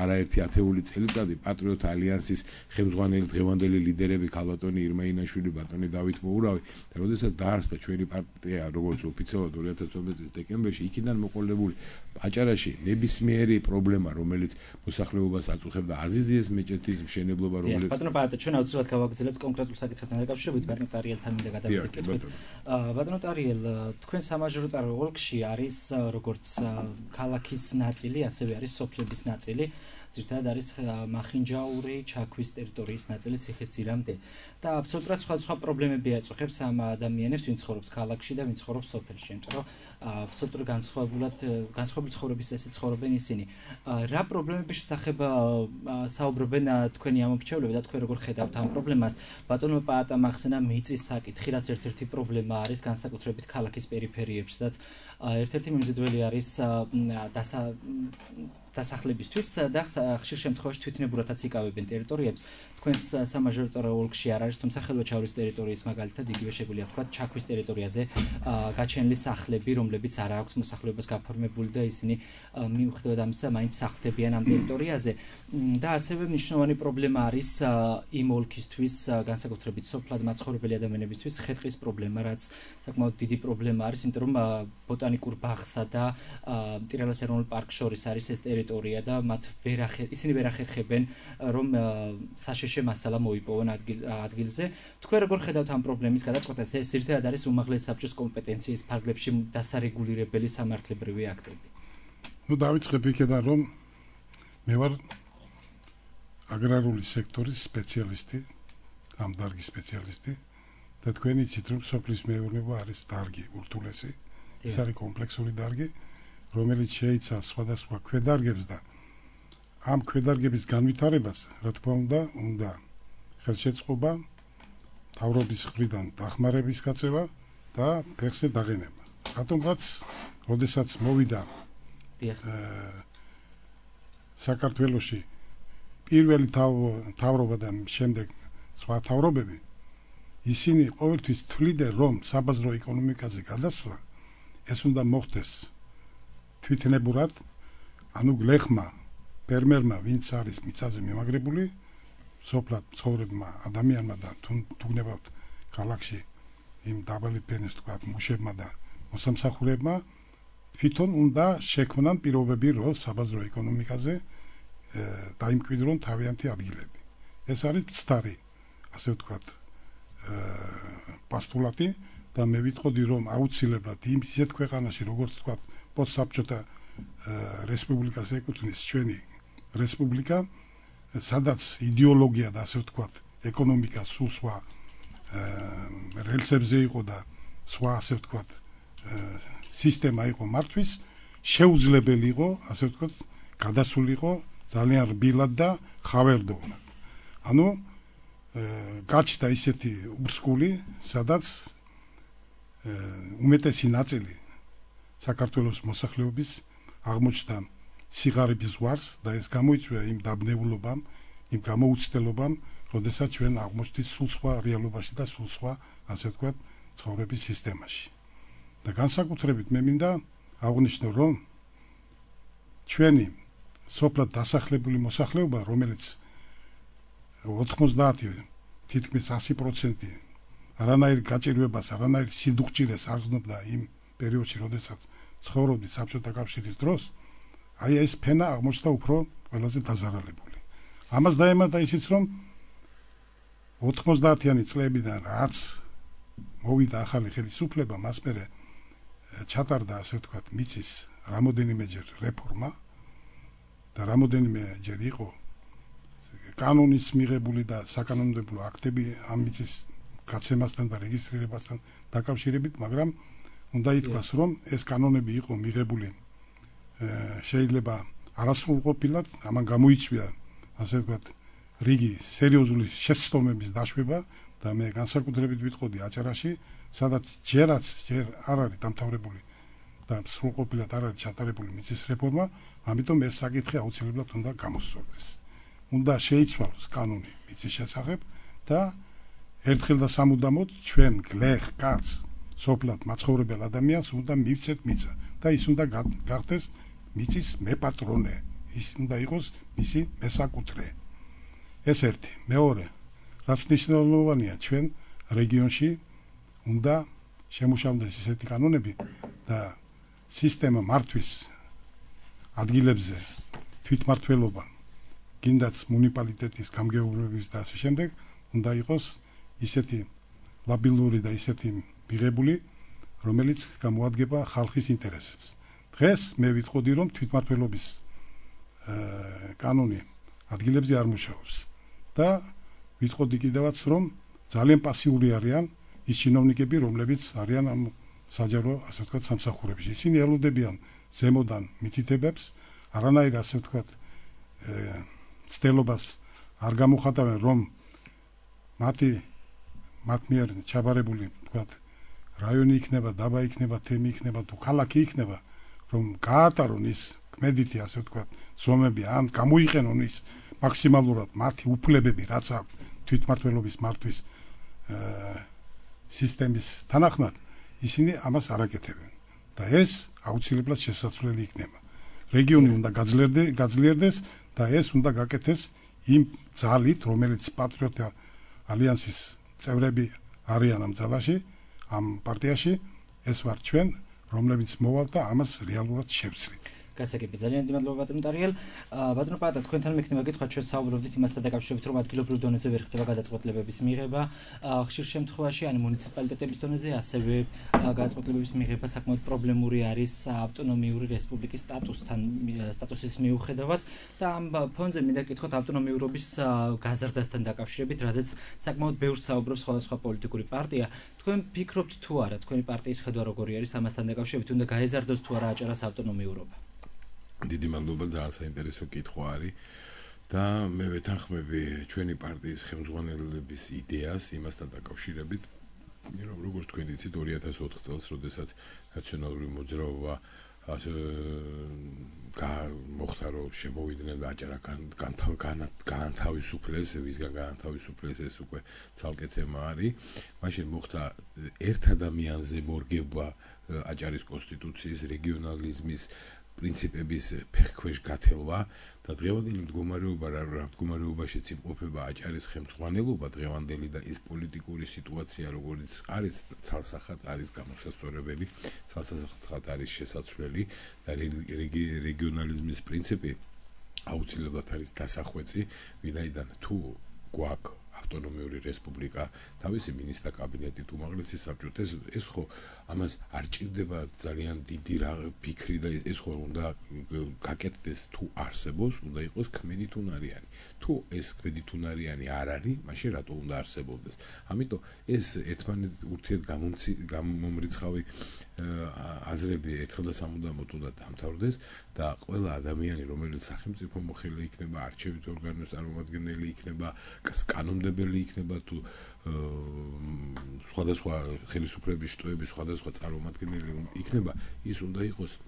არაერთი ათეული წელიწადი პატრიოტ ალიანსის ხელმძღვანელი დღევანდელი ლიდერები ქალბატონი ირმა ინაშვილი, ბატონი დავით მოურავი და როდესაც დაარსდა ჩვენი პარტია როგორც ოფიციალურად 2012 წლის დეკემბერში, იქიდან მოყოლებული აჭარაში ნებისმიერი პრობლემა, რომელიც მოსახლეობას აწუხებდა, აზიზიეს მეჭეთის მშენებლობა, რომელიც ბატონო პატრიოტ, ჩვენ აუცილებლად გავაგრძელებთ კონკრეტულ საკითხებთან დაკავშირებით, ბატონო ტარიელთან მინდა გადავიდეთ კითხვით. ბატონო ტარიელ, თქვენ სამაჟორიტარო ოლქში არის როგორც ქალაქის ნაწილი, ასევე არის სოფლების ნაწილი. ძირითადად არის მახინჯაური, ჩაქვის ტერიტორიის ნაწილი ციხისძირამდე და აბსოლუტურად სხვა პრობლემები აწუხებს ამ ადამიანებს, ვინც ცხოვრობს ქალაქში და ვინც ცხოვრობს სოფელში, იმიტომ რომ აბსოლუტურად განსხვავებული ცხოვრების წესით ცხოვრობენ ისინი. რა პრობლემების შესახებ საუბრობენ თქვენი ამომრჩევლები და თქვენ როგორ ხედავთ ამ პრობლემას? ბატონო პაატამ ახსენა მიწის საკითხი, რაც ერთ-ერთი პრობლემა არის განსაკუთრებით ქალაქის პერიფერიებში, სადაც ერთ-ერთი მიმზიდველი არის დასახლებისთვის და ხშირ შემთხვევაში თვითნებურათაც იკავებენ ტერიტორიებს. თქვენს სამაჟორიტარო ოლქში არ არის, თუმცა ხელვაჩაურის ტერიტორიის მაგალითად იგივე შეგვიძლია ვთქვათ ჩაქვის ტერიტორიაზე გაჩენილი სახლები, რომლებიც არ აქვს მოსახლეობას გაფორმებული და ისინი მიუხედავად ამისა მაინც სახლდებიან ამ ტერიტორიაზე. და ასევე მნიშვნელოვანი პრობლემა არის იმ ოლქისთვის, განსაკუთრებით სოფლად მაცხოვრებელი ადამიანებისთვის ხე-ტყის პრობლემა, რაც საკმაოდ დიდი პრობლემა არის, იმიტომ რომ ბოტანიკურ ბაღსა და მტირალას ეროვნულ პარკს შორის არის ეს ტერიტორია და ისინი ვერ ახერხებენ რომ საშეშე მასალა მოიპოვონ ადგილზე. თქვენ როგორ ხედავთ ამ პრობლემის გადაწყვეტას? ეს ერთად არის უმაღლესი საბჭოს კომპეტენციის ფარგლებში დასარეგულირებელი სამართლებრივი აქტები. დავიწყებ იქიდან რომ მე ვარ აგრარული სექტორის სპეციალისტი, ამ დარგის სპეციალისტი და თქვენ იცით რომ სოფლის მეურნეობა არის დარგი ურთულესი. ეს არის კომპლექსური დარგი, რომელიც შეიცავს სხვადასხვა ქვედარგებს და ამ ქვედარგების განვითარებას, რა თქმა უნდა ხელშეწყობა, მთავრობის მხრიდან დახმარების გაწევა და ფეხზე დაღენება. რატომღაც, როდესაც მოვიდა საქართველოში პირველი მთავრობა და შემდეგ სხვა მთავრობები, ისინი ყოველთვის თვლიდნენ, რომ საბაზრო ეკონომიკაზე გადასვლა ეს უნდა მოხდეს თვითნებურად, ანუ გლეხმა, ფერმერმა, ვინც არის მიწაზე მიმაგრებული, სოფლად მცხოვრებმა ადამიანმა და თუ გნებავთ ქალაქში იმ დაბალი ფენის თქვათ მუშებმა და მოსამსახურებმა თვითონ უნდა შექმნან პირობები, რომ საბაზრო ეკონომიკაზე დაიმკვიდრონ თავიანთი ადგილები. ეს არის მცდარი, ასე ვთქვათ, პასტულატი და მე ვიტყოდი, რომ აუცილებლად ისეთ ქვეყანაში, როგორც ვთქვათ, პოსტსაბჭოთა რესპუბლიკას ეკუთვნის ჩვენი რესპუბლიკა, სადაც იდეოლოგია და ასე ვთქვათ, ეკონომიკა სულ სხვა რელსებზე იყო და სხვა ასე ვთქვათ, სისტემა იყო მართვის, შეუძლებელი იყო, ასე ვთქვათ, გადასულიყო ძალიან რბილად და ხავერდოვნად. ანუ გაჩნდა ისეთი ურსკული, სადაც უმეტესი ნაწილი საქართველოს მოსახლეობის აღმოჩნდა სიღარიბის ზღვარს და ეს გამოიწვია იმ დაბნეულობამ, იმ გამოუცდელობამ, როდესაც ჩვენ აღმოჩნდით სულ სხვა რეალობაში და სულ სხვა, ასე ვთქვათ, ცხოვრების სისტემაში. და განსაკუთრებით მე მინდა აღვნიშნო, რომ ჩვენი სოფლად დასახლებული მოსახლეობა, რომელიც 90 თითქმის 100% არანაირ გაჭირვებას, არანაირ სიდუხჭირეს არ გრძნობდა იმ პერიოდში, როდესაც ცხოვრობდი საბჭოთა კავშირის დროს, აი ეს ფენა აღმოჩნდა უფრო ყველაზე დაზარალებული. ამას დაემატა ისიც, რომ 90-იანი წლებიდან რაც მოვიდა ახალი ხელისუფლება, მას მერე ჩატარდა, ასე ვთქვათ, მიწის რამოდენიმეჯერ რეფორმა და რამოდენიმეჯერ იყო კანონის მიღებული და საკანონმდებლო აქტები ამ მიწის გაცემასთან და რეგისტრირებასთან დაკავშირებით, მაგრამ უნდა ითქვას, რომ ეს კანონები იყო მიღებული შეიძლება არასრულყოფილად, ამან გამოიწვია, ასე ვთქვათ, რიგი სერიოზული შეცდომების დაშვება და მე განსაკუთრებით ვიტყოდი აჭარაში, სადაც ჯერ არ არის დამთავრებული და სრულყოფილად არ არის ჩატარებული მიწის რეფორმა, ამიტომ ეს საკითხი აუცილებლად უნდა გამოსწორდეს. უნდა შეიცვალოს კანონი მიწის შესახებ და ერთხელ და სამუდამოდ ჩვენ გლეხ კაც სოფლად მაცხოვრებელ ადამიანს უნდა მივცეთ მიწა და ის უნდა გახდეს მიწის მეპატრონე, ის უნდა იყოს მისი მესაკუთრე. ეს ერთი. მეორე, რაც მნიშვნელოვანია, ჩვენ რეგიონში უნდა შემუშავდეს ისეთი კანონები და სისტემა მართვის ადგილებზე თვითმმართველობა, გინდაც მუნიციპალიტეტის გამგეობლების და ასე შემდეგ, უნდა იყოს ისეთი ლაბილური და ისეთი მიღებული, რომელიც გამოადგება ხალხის ინტერესებს. დღეს მე ვიტყოდი, რომ თვითმმართველობის კანონი ადგილებზე არ მუშაობს და ვიტყოდი კიდევაც რომ ძალიან პასიური არიან ის ჩინოვნიკები რომლებიც არიან ამ საჯარო ასე ვთქვათ სამსახურებში ისინი ელოდებიან ზემოდან მითითებებს არანაირ ასე ვთქვათ ცდელობას არ გამოხატავენ რომ მათ მიერ ჩაბარებული ვთქვათ რაიონი იქნება დაბა იქნება თემი იქნება თუ ქალაქი იქნება რომ გაატარონ ის კმედითი ასე ვთქვათ ზომები ან გამოიყენონ ის მაქსიმალურად მათი უფლებები რაც აქვს თვითმმართველობის მართვის სისტემის თანახმად ისინი ამას არ აკეთებენ და ეს აუცილებლად შესაძლებელი იქნება რეგიონი უნდა გაძლიერდეს და ეს უნდა გაკეთდეს იმ ძალით რომელიც პატრიოტთა ალიანსის წევრები არიან ამ ძალაში ამ პარტიაში ეს ვარ ჩვენ რომლებიც მოვალ და ამას რეალურად შევცვლით გასაგები ძალიან დიდი მადლობა ბატონო ტარიელ ბატონო პატა თქვენთან მექნება გითხრათ ჩვენ საუბრობდით იმასთან დაკავშირებით რომ ადგილობრივ დონეზე ვერ ხდება გადაწყვეტილებების მიღება ხშირ შემთხვევაში ან მუნიციპალიტეტების დონეზე ასევე გადაწყვეტილებების მიღება საკმაოდ პრობლემური არის ავტონომიური რესპუბლიკის სტატუსის მიუხედავად და ამ ფონზე მინდა გითხოთ ავტონომიურობის გაზრდასთან დაკავშირებით რადგან საკმაოდ ბევრს საუბრობს სხვადასხვა პოლიტიკური პარტია თქვენ ფიქრობთ თუ არა თქვენი პარტიის ხედვა როგორი არის ამასთან დაკავშირებით უნდა გაეზარდოს თუ არა აჭარას ავტონომიურობა დიდი მადლობა ძალიან საინტერესო კითხვა არის და მე ვეთანხმები ჩვენი პარტიის ხელმძღვანელების იდეას იმასთან დაკავშირებით რომ როგორც თქვენ იცით 2004 წელს როდესაც ნაციონალური მოძრაობა ასე მოხდა რომ შემოვიდნენ აჭარა განთავისუფლეს ვისგან განთავისუფლეს ეს უკვე ცალკე თემა არის მაშინ მოხდა ერთ ადამიანზე მორგება აჭარის კონსტიტუციის რეგიონალიზმის პრინციპების ფეხქვეშ გათელვა და დღევანდელი მდგომარეობაშიც იმყოფება აჭარის ხელმძღვანელობა დღევანდელი და ის პოლიტიკური სიტუაცია როგორც არის ცალსახად არის გამოსასწორებელი ცალსახად არის შესაძლებელი და რეგიონალიზმის პრინციპი აუცილებლად არის დასახვეწი ვინაიდან თუ გვაქვს ავტონომიური რესპუბლიკა თავისი მინისტრთა კაბინეტით უმაღლესი საბჭოთ ეს ხო ამას არ ჭირდება ძალიან დიდი ფიქრი და ეს ხო უნდა გაკეთდეს თუ არსებობს უნდა იყოს ქმედითუნარიანი თუ ეს ქმედითუნარიანი არ არის მაშინ რატო უნდა არსებობდეს ამიტომ ეს ერთმანეთ გამომრიცხავი აზრები ერთხელ და სამუდამოდ უნდა დამთავრდეს და ყველა ადამიანი რომელიც სახელმწიფო მოხელე იქნება არჩევით ორგანოს წარმომადგენელი იქნება კანონმდებელი იქნება თუ სხვადასხვა ხელისუფლების შტოების სხვადასხვა წარმომადგენელი იქნება ის უნდა იყოს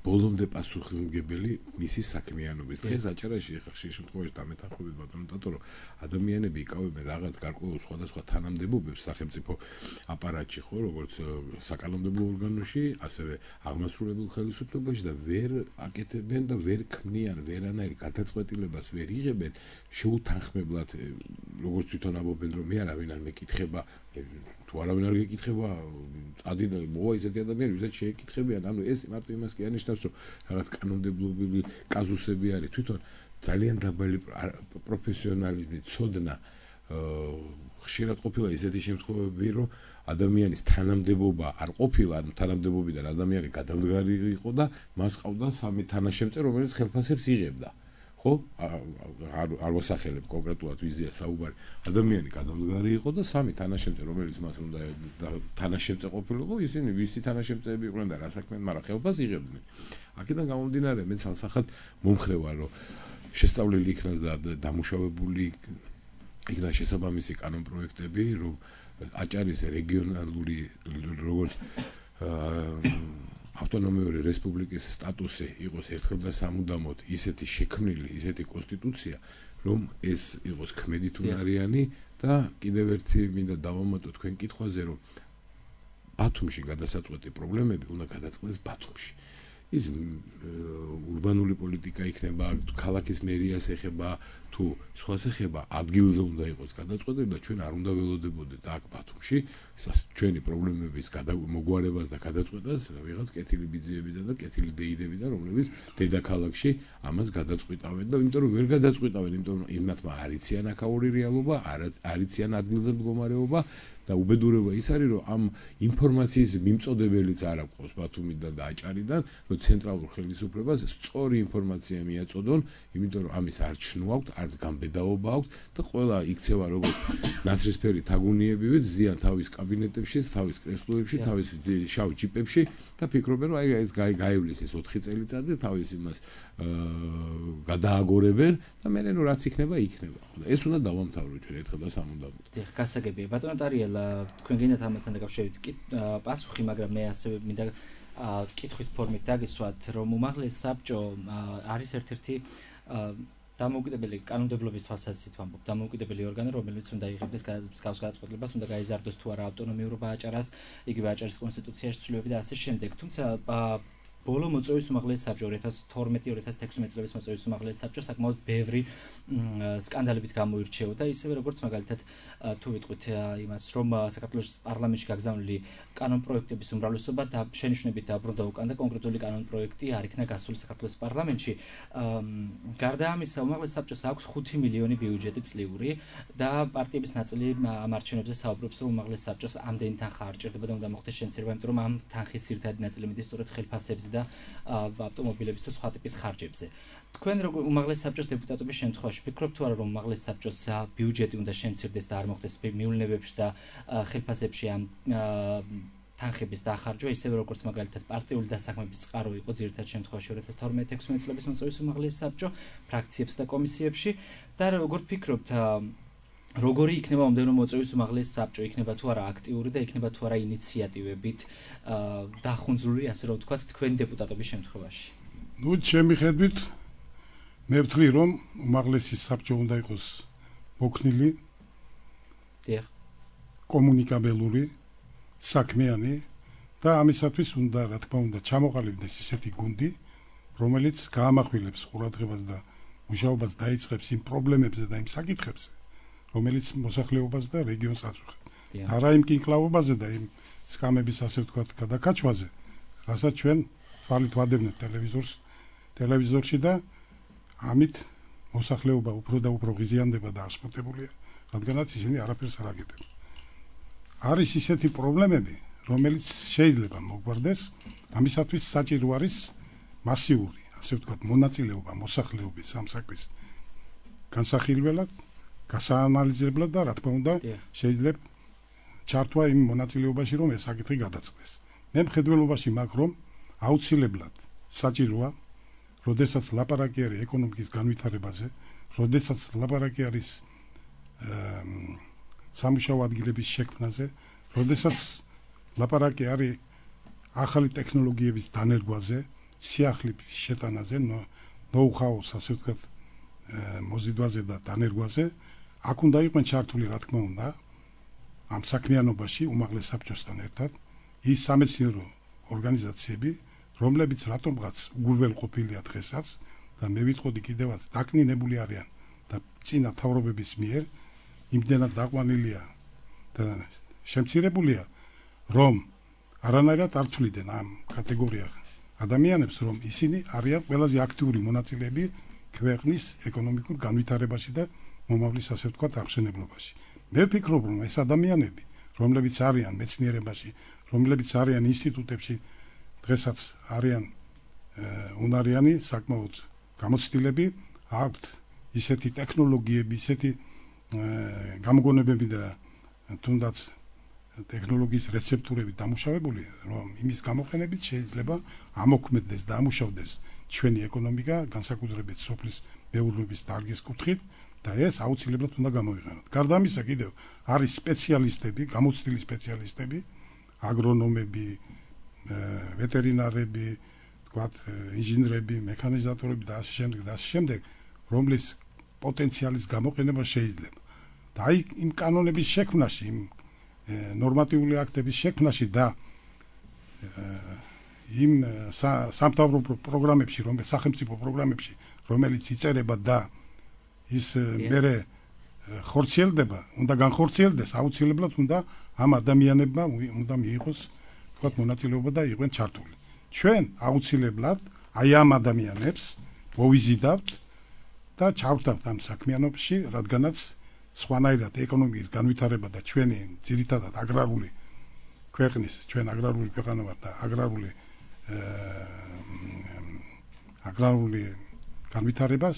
ბოლომდე პასუხისმგებელი მისი საქმიანობის დღეს აჭარაში ხშირ შემთხვევაში დამეთანხმებით ბატონო ტატო რომ ადამიანები იკავებენ რაღაც გარკვეულ სხვადასხვა თანამდებობებს სახელმწიფო აპარატში ხო როგორც საკანონმდებლო ორგანოში ასევე აღმასრულებელ ხელისუფლებაში და ვერ აკეთებენ და ვერ ქმნიან ვერანაირ გადაწყვეტილებას ვერ იღებენ შეუთანხმებლად როგორც თვითონ ამბობენ რომ მე არავინ არ მეკითხება თუ არავინ არ გეკითხება წადი და მოვა ისეთი ადამიანი ვისაც შეეკითხებიან ანუ ეს მარტო იმას კი ანიშნავს რომ რაღაც კანონმდებლობრივი კაზუსები არის თვითონ ძალიან დაბალი პროფესიონალიზმი ცოდნა ხშირად ყოფილა ისეთი შემთხვევები რომ ადამიანის თანამდებობა არ ყოფილა ანუ თანამდებობიდან ადამიანი გადამდგარი იყო და მას ყავდა სამი თანაშემწე რომელიც ხელფასებს იღებდა ხო არ ვასახელებ კონკრეტულად ვიზია საუბარი ადამიანი გადამდგარი იყო და სამი თანაშემწე რომელიც მას უნდა თანაშემწე ყოფილიყო ისინი ვისი თანაშემწეები იყვნენ და რა საქმე მაგრამ ხელფასს იღებდნენ აქედან გამომდინარე მე ცალსახად მომხრე ვარ რომ შესწავლილი იქნას და დამუშავებული იქნა შესაბამისი კანონპროექტები რომ აჭარის რეგიონალური როგორც ავტონომიური რესპუბლიკის სტატუსი იყოს ერთხელ და სამუდამოდ ისეთი შექმნილი, ისეთი კონსტიტუცია, რომ ეს იყოს ქმედითუნარიანი და კიდევ ერთი მინდა დავამატო თქვენ კითხვაზე, რომ ბათუმში გადასაწყვეტი პრობლემები უნდა გადაწყდეს ბათუმში. ის урბანული პოლიტიკა იქნება, ქალაქის მერიას ეხება, თუ სხვას ეხება, ადგილზე უნდა იყოს გადაწყვეტილი და ჩვენ არ უნდა ველოდებოდეთ აქ ბათუმში ჩვენი პრობლემების მოგვარებას და გადაწყვეტას ვიღაც კეთილი ბიძიებიდან და კეთილი დეიდებიდან, რომლებიც დედაქალაქში ამას გადაწყვეტავენ და იმიტომ რომ ვერ გადაწყვეტავენ, იმიტომ რომ იმათმა არ იციან აქაური რეალობა, არ იციან ადგილზე მდგომარეობა და უბედურება ის არის, რომ ამ ინფორმაციის მიმწოდებელიც არ აქვს ბათუმიდან და აჭარიდან, რომ ცენტრალურ ხელისუფლებას სწორი ინფორმაცია მიაწოდონ, იმიტომ რომ ამის არ ჩნო აქვს, არც გამბედაობა აქვს და ყველა იქცევა როგორც ნაცრისფერი თაგუნიებივით ზიან თავის კაბინეტებში, თავის კრესლოებში, თავის შავ ჯიპებში და ფიქრობენ, რომ აი ეს გაივლის ეს 4 წელიწადი თავის იმას გადააგორებენ და მე ნუ რაც იქნება იქნება. ეს უნდა დავამთავროთ ჩვენ ერთხელ და სამუდამოდ. დიახ, გასაგებია. ბატონო ტარიელ, თქვენ გინდათ ამასთან დაკავშირებით პასუხი, მაგრამ მე ასევე მინდა კითხვის ფორმით დაგისვათ, რომ უმაღლეს საბჭო არის ერთ-ერთი დამოუკიდებელი კანონმდებლობის თვალსაზრისით ვამბობ, დამოუკიდებელი ორგანო, რომელიც უნდა იღებდეს მსგავს გადაწყვეტილებას, უნდა გაიზარდოს თუ არა ავტონომიურობა აჭარას, იგივე აჭარის კონსტიტუციაში ცვლილებები და ასე შემდეგ. თუმცა ბოლო მოწვევის უმაღლეს საბჭო 2012-2016 წლების მოწვევის უმაღლეს საბჭო საკმაოდ ბევრი სკანდალებით გამოირჩეოდა, ისევე როგორც მაგალითად თუ ვიტყვით იმას, რომ საქართველოს პარლამენტში გაგზავნილი კანონპროექტების უმრავლესობა და შენიშვნებით დაბრუნდა უკან და კონკრეტული კანონპროექტი არ იქნა გასული საქართველოს პარლამენტში. გარდა ამისა, უმაღლეს საბჭოს აქვს 5 მილიონი ბიუჯეტი წლიური და პარტიების ნაწილი ამ არჩევნებზე საუბრობს, რომ უმაღლეს საბჭოს ამდენი თანხა არ ჭირდება და უნდა მოხდეს შემცირება, იმიტომ რომ ამ თანხის ძირითადი ნაწილი მიდის სწორედ ხელფასებზე და ავტომობილების თუ სხვა ტიპის ხარჯებზე. თქვენ როგორ უმაღლეს საბჭოს დეპუტატობის შემთხვევაში ფიქრობთ თუ არა, რომ უმაღლეს საბჭოს ბიუჯეტი უნდა შემცირდეს და არ მოხდეს მიულნებებში და ხელფასებში ამ თანხების დახარჯვა, ისევე როგორც მაგალითად პარტიული დასაქმების წყარო იყო ძირითად შემთხვევაში 2012-16 წლების მოწვევის უმაღლეს საბჭო ფრაქციებს და კომისიებში და როგორ ფიქრობთ როგორი იქნება მომდევნო მოწვევის უმაღლეს საბჭო, იქნება თუ არა აქტიური და იქნება თუ არა ინიციატივებით დახუნძლული, ასე რომ ვთქვათ, თქვენ დეპუტატობის შემთხვევაში? ნუ ჩემი ხედვით მე ვთვლი, რომ უმაღლესი საბჭო უნდა იყოს მოქნილი, კომუნიკაბელური, საქმიანი და ამისათვის უნდა, რა თქმა უნდა, ჩამოყალიბდეს ისეთი გუნდი, რომელიც გაამახვილებს ყურადღებას და მუშაობას დაიწყებს იმ პრობლემებზე და იმ საკითხებზე, რომელიც მოსახლეობას და რეგიონს აწუხებს. და რა იმ კინკლავობაზე და იმ სკამების ასე ვთქვათ გადაკაჩვაზე, რასაც ჩვენ თვალით ვადევნებთ ტელევიზორში და ამით მოსახლეობა უფრო და უფრო ღიზიანდება და აღშფოთებულია, რადგანაც ისინი არაფერს არ აკეთებენ. არის ისეთი პრობლემები, რომელიც შეიძლება მოგვარდეს, ამისათვის საჭირო არის მასიური, ასე ვთქვათ, მონაწილეობა მოსახლეობის ამ საქმის განსახილველად, გასაანალიზებლად და რა თქმა უნდა შეიძლება ჩართვა იმ მონაწილეობაში, რომ ეს საკითხი გადაწყდეს. მე მხედველობაში მაქვს, რომ აუცილებლად საჭიროა, როდესაც ლაპარაკი არის ეკონომიკის განვითარებაზე, როდესაც ლაპარაკი არის სამუშაო ადგილების შექმნაზე, როდესაც ლაპარაკი არის ახალი ტექნოლოგიების დანერგვაზე, სიახლეების შეტანაზე, ნოუ-ჰაუს, ასე ვთქვათ, მოზიდვაზე და დანერგვაზე, აქ უნდა იყვნენ ჩართული, რა თქმა უნდა, ამ საქმიანობაში უმაღლეს საბჭოსთან ერთად ის სამეცნიერო ორგანიზაციები, რომლებიც რატომღაც უგულველყოფილია დღესაც და მე ვიტყოდი კიდევაც დაკნინებული არიან და წინა თავრობების მიერ იმდენად დაყვანილია და შემცირებულია, რომ არანაირად არ თვლიდნენ ამ კატეგორიას ადამიანებს, რომ ისინი არიან ყველაზე აქტიური მონაწილეები ქვეყნის ეკონომიკურ განვითარებაში და მომავლის, ასე ვთქვათ, აღშენებლობაში. მე ვფიქრობ, რომ ეს ადამიანები, რომლებიც არიან მეცნიერებაში, რომლებიც არიან ინსტიტუტებში, დღესაც არიან უნარიანი, საკმაოდ გამოცდილები, აქვთ ისეთი ტექნოლოგიები, ისეთი გამოგონებები და თუნდაც ტექნოლოგიის რეცეპტურები დამუშავებული, რომ იმის გამოყენებით შეიძლება ამოქმედდეს და ამუშავდეს ჩვენი ეკონომიკა, განსაკუთრებით სოფლის მეურნეობის დარგის კუთხით და ეს აუცილებლად უნდა გამოიყენოთ. გარდა ამისა კიდევ არის სპეციალისტები, გამოცდილი სპეციალისტები, აგრონომები, ვეტერინარები, თქვათ, ინჟინრები, მექანიზატორები და ასე შემდეგ, რომლის პოტენციალის გამოყენება შეიძლება. და აი იმ კანონების შექმნაში, იმ ნორმატიული აქტების შექმნაში და იმ სამთავრობო პროგრამებში, სახელმწიფო პროგრამებში, რომელიც იწერება და ის მერე ხორციელდება, უნდა განხორციელდეს, აუცილებლად უნდა ამ ადამიანებმა უნდა მიიღოს, თქვათ, მონაწილეობა და იყვნენ ჩართული. ჩვენ აუცილებლად აი ამ ადამიანებს მოვიზიდავთ და ჩავთავთ ამ საქმიანობაში, რადგანაც სხვანაირად ეკონომიკის განვითარება და ჩვენი ძირითადად აგრარული ქვეყნის ჩვენ აგრარული ქვეყანა ვართ და აგრარული განვითარებას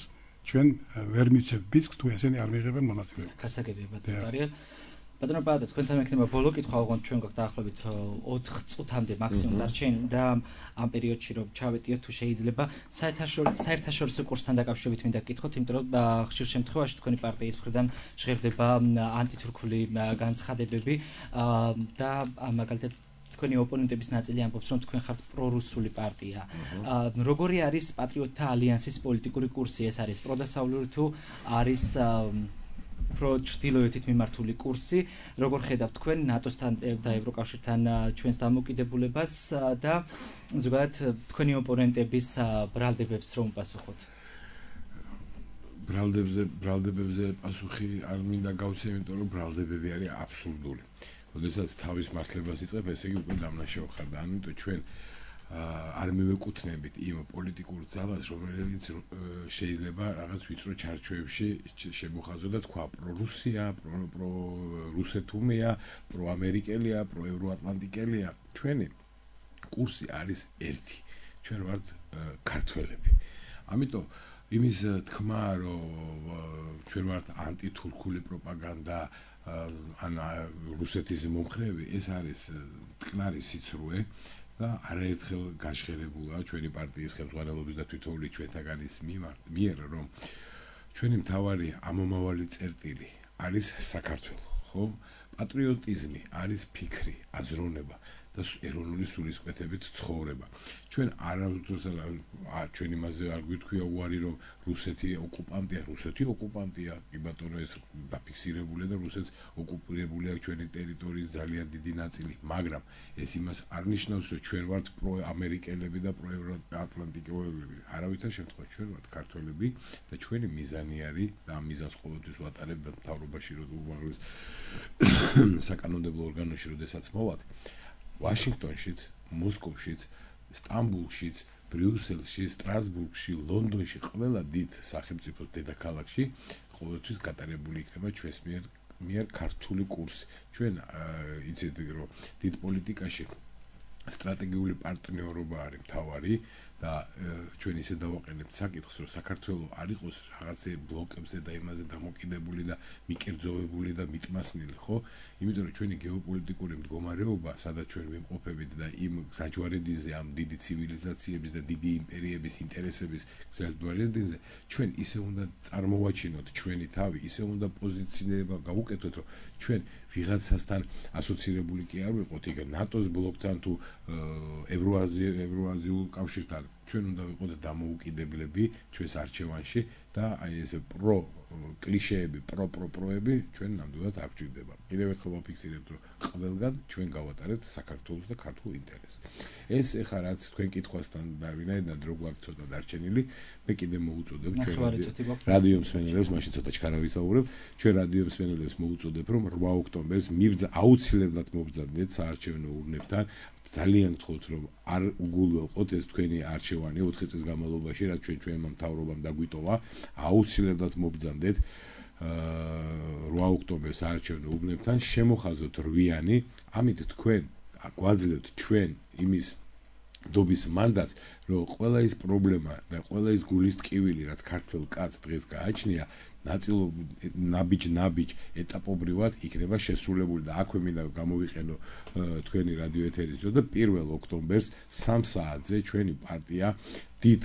ჩვენ ვერ მივცემთ ბიზნს თუ ესენი არ მიიღებენ მონაწილეობას. გასაგებია ბატონო. ბატონო პაატა, თქვენთან მექნება ბოლო კითხვა, ოღონდ ჩვენ გვაქვს დაახლოებით 4 წუთამდე მაქსიმუმ დარჩენილი და ამ პერიოდში რომ ჩავეტიოთ თუ შეიძლება საერთაშორისო კურსთან დაკავშირებით მინდა გკითხოთ, იმიტომ რომ ხშირ შემთხვევაში თქვენი პარტიის მხრიდან ჟღერდება ანტითურქული განცხადებები და მაგალითად თქვენი ოპონენტების ნაწილი ამბობს, რომ თქვენ ხართ პრორუსული პარტია. როგორი არის პატრიოტთა ალიანსის პოლიტიკური კურსი? ეს არის პროდასავლური თუ არის ჩრდილოეთით მიმართული კურსი? როგორ ხედავთ თქვენ ნატოსთან და ევროკავშირთან ჩვენს დამოკიდებულებას და ზოგადად თქვენი ოპონენტების ბრალდებებს რომ უპასუხოთ? ბრალდებებზე პასუხი არ მინდა გავცე, იმიტომ რომ ბრალდებები არის აბსურდული. როდესაც თავის მართლებას იწყებ, ესე იგი უკვე დამნაშავე ხარ და ამიტომ ჩვენ არ მივეკუთვნებით იმ პოლიტიკურ ძალას, რომელიც შეიძლება რაღაც ვიწრო ჩარჩოებში შემოხაზო და თქვა პრორუსია, პრორუსეთუმია, პროამერიკელია, პროევროატლანტიკელია. ჩვენი კურსი არის ერთი. ჩვენ ვართ ქართველები. ამიტომ იმის თქმა, რომ ჩვენ ვართ ანტითურქული პროპაგანდა ან რუსეთის მომხრეები, ეს არის მტკნარი სიცრუე და არაერთხელ გაჟღერებულა ჩვენი პარტიის ხელმძღვანელობის და თვითონული ჩვენთაგანის მიერ, რომ ჩვენი მთავარი ამომავალი წერტილი არის საქართველო, ხო? პატრიოტიზმი არის ფიქრი, აზროვნება და ეროვნული სულისკვეთებით ცხოვრება. ჩვენ არავითროს ჩვენ იმაზე არ გვითქვია უარი, რომ რუსეთი ოკუპანტია, კი ბატონო, ეს დაფიქსირებულია და რუსეთს ოკუპირებულია ჩვენი ტერიტორიის ძალიან დიდი ნაწილი, მაგრამ ეს იმას არ ნიშნავს, რომ ჩვენ ვართ პროამერიკელები და პროევროატლანტიკელები. არავითარ შემთხვევაში ჩვენ ვართ ქართველები და ჩვენი მიზანი არის და ამ მიზანს ყოველთვის ვატარებთ მთავრობაში, უმაღლეს საკანონმდებლო ორგანოში, როდესაც მოვად ვაშინგტონშიც, მოსკოვშიც, სტამბულშიც, ბრიუსელში, სტრასბურგში, ლონდონში, ყველა დიდ სახელმწიფოს დედაქალაქში ყოველთვის გატარებული იქნება ჩვენს მიერ ქართული კურსი. ჩვენ იცით, რომ დიდ პოლიტიკაში სტრატეგიული პარტნიორობა არის მთავარი და ჩვენ ისე დავაყენებთ საკითხს, რომ საქართველო არ იყოს რაღაცე ბლოკებზე და იმაზე დამოკიდებული და მიკერძოვებული და მიტმასნილი, ხო? იმიტომ რომ ჩვენი გეოპოლიტიკური მდგომარეობა, სადაც ჩვენ ვიმყოფებით და იმ საჯვარედინზე, ამ დიდი ცივილიზაციების და დიდი იმპერიების ინტერესების საჯვარედინზე, ჩვენ ისე უნდა წარმოვაჩინოთ ჩვენი თავი, ისე უნდა პოზიციონირება გავუკეთოთ, რომ ჩვენ ვიღაცასთან ასოცირებული კი არ ვიყოთ, იქ ნატოს ბლოკთან თუ ევროაზიულ კავშირთან. ჩვენ უნდა ვიყოთ დამოუკიდებლები ჩვენს არჩევანში და აი ეს კლიშეები, პროები ჩვენ ნამდვილად არ გვჭირდება. კიდევ ერთხელ ვაფიქსირებთ, რომ ყველგან ჩვენ გავატარებთ საქართველოს და ქართულ ინტერესს. ეს ეხლა რაც თქვენ კითხვასთან და ვინაიდან დრო გვაქვს ცოტა დარჩენილი, მე კიდე მოუწოდებ ჩვენ რადიო მსმენელებს, მაშინ ცოტა ჩქარა ვისაუბრებ, ჩვენ რადიო მსმენელებს მოუწოდებ, რომ 8 ოქტომბერს აუცილებლად მობრძანდეთ საარჩევნო ურნებთან. ძალიან გთხოვთ, რომ არ უგულველყოთ ეს თქვენი არჩევანი 4 წლის განმავლობაში, რაც ჩვენმა მთავრობამ დაგვიტოვა, აუცილებლად მობრძანდეთ 8 ოქტომბერს საარჩევნო ურნებთან, შემოხაზოთ რვიანი, ამით თქვენ გვაძლევთ ჩვენ იმის დობის მანდატს, რომ ყველა ის პრობლემა და ყველა ის გულის ტკივილი, რაც ქართველ კაცს დღეს გააჩნია, ნაბიჯ ეტაპობრივად იქნება შესრულებული და აქვე მინდა გამოვიყენო თქვენი რადიო ეთერის და 1 ოქტომბერს 3 საათზე ჩვენი პარტია დიდ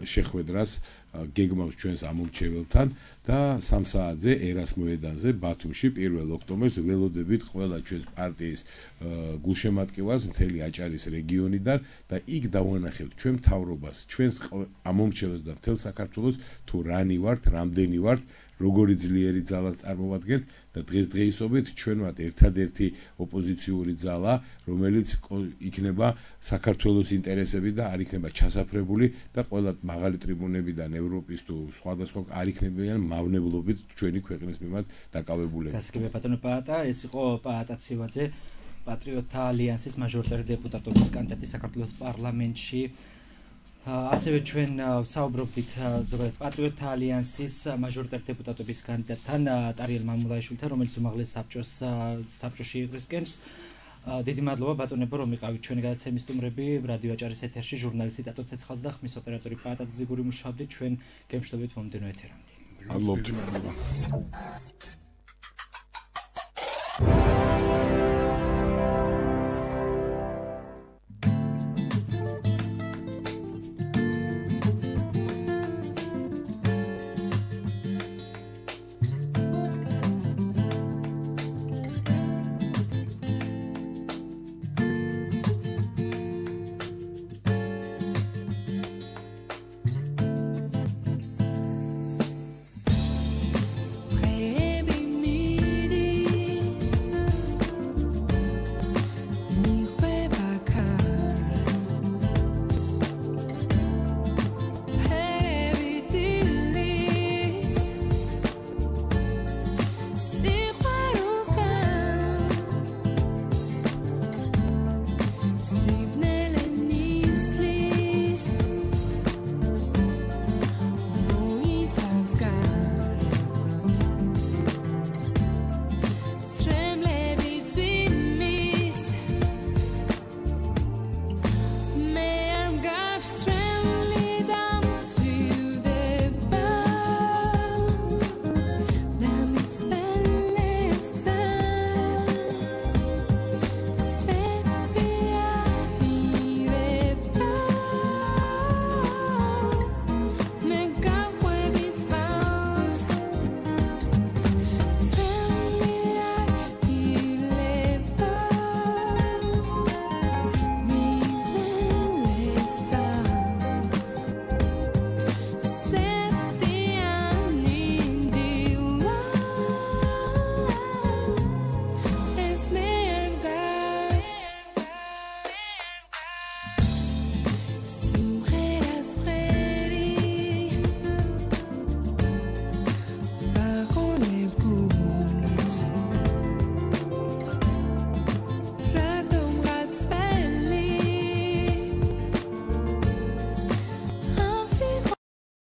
შეხვედრას გეგმავს ჩვენს ამომრჩეველთან და 3 საათზე ერას მოედანზე ბათუმში 1 ოქტომბერს ველოდებით ყველა ჩვენს პარტიის გულშემატკივარს მთელი აჭარის რეგიონიდან და იქ დავანახებთ ჩვენ მთავრობას, ჩვენს ამომრჩეველს და მთელ საქართველოს თუ რანი ვართ, რამდენი ვართ, როგორი ძლიერი ძალა წარმოვადგენთ და დღესდღეობით ჩვენ ვართ ერთადერთი ოპოზიციური ძალა, რომელიც იქნება საქართველოს ინტერესები და არ იქნება ჩასაფრებული და ყველა მაღალი ტრიბუნებიდან ევროპის თუ სხვადასხვა არ იქნებიან მავნებლობით ჩვენი ქვეყნის მიმართ დაკავებულები. გასაგებია ბატონო პაატა, ეს იყო პაატა ცივაძე, პატრიოტთა ალიანსის მაჟორიტარი დეპუტატობის კანდიდატი საქართველოს პარლამენტში. ასევე ჩვენ საუბრობდით ზოგადად პატრიოტთა ალიანსის მაჟორიტარ დეპუტატობის კანდიდატთან ტარიელ მამულაიშვილთან, რომელიც უმაღლეს საბჭოში იყრისკენს. დიდი მადლობა ბატონებო, რომ იყავით ჩვენი გადაცემის სტუმრები. რადიო აჭარის ეთერში ჟურნალისტი ტატო ცეცხლაძე და ხმის ოპერატორი პაატაძე ზიგური მუშაობდით. ჩვენ გემშვიდობით მომდევნო ეთერამდე. მადლობა.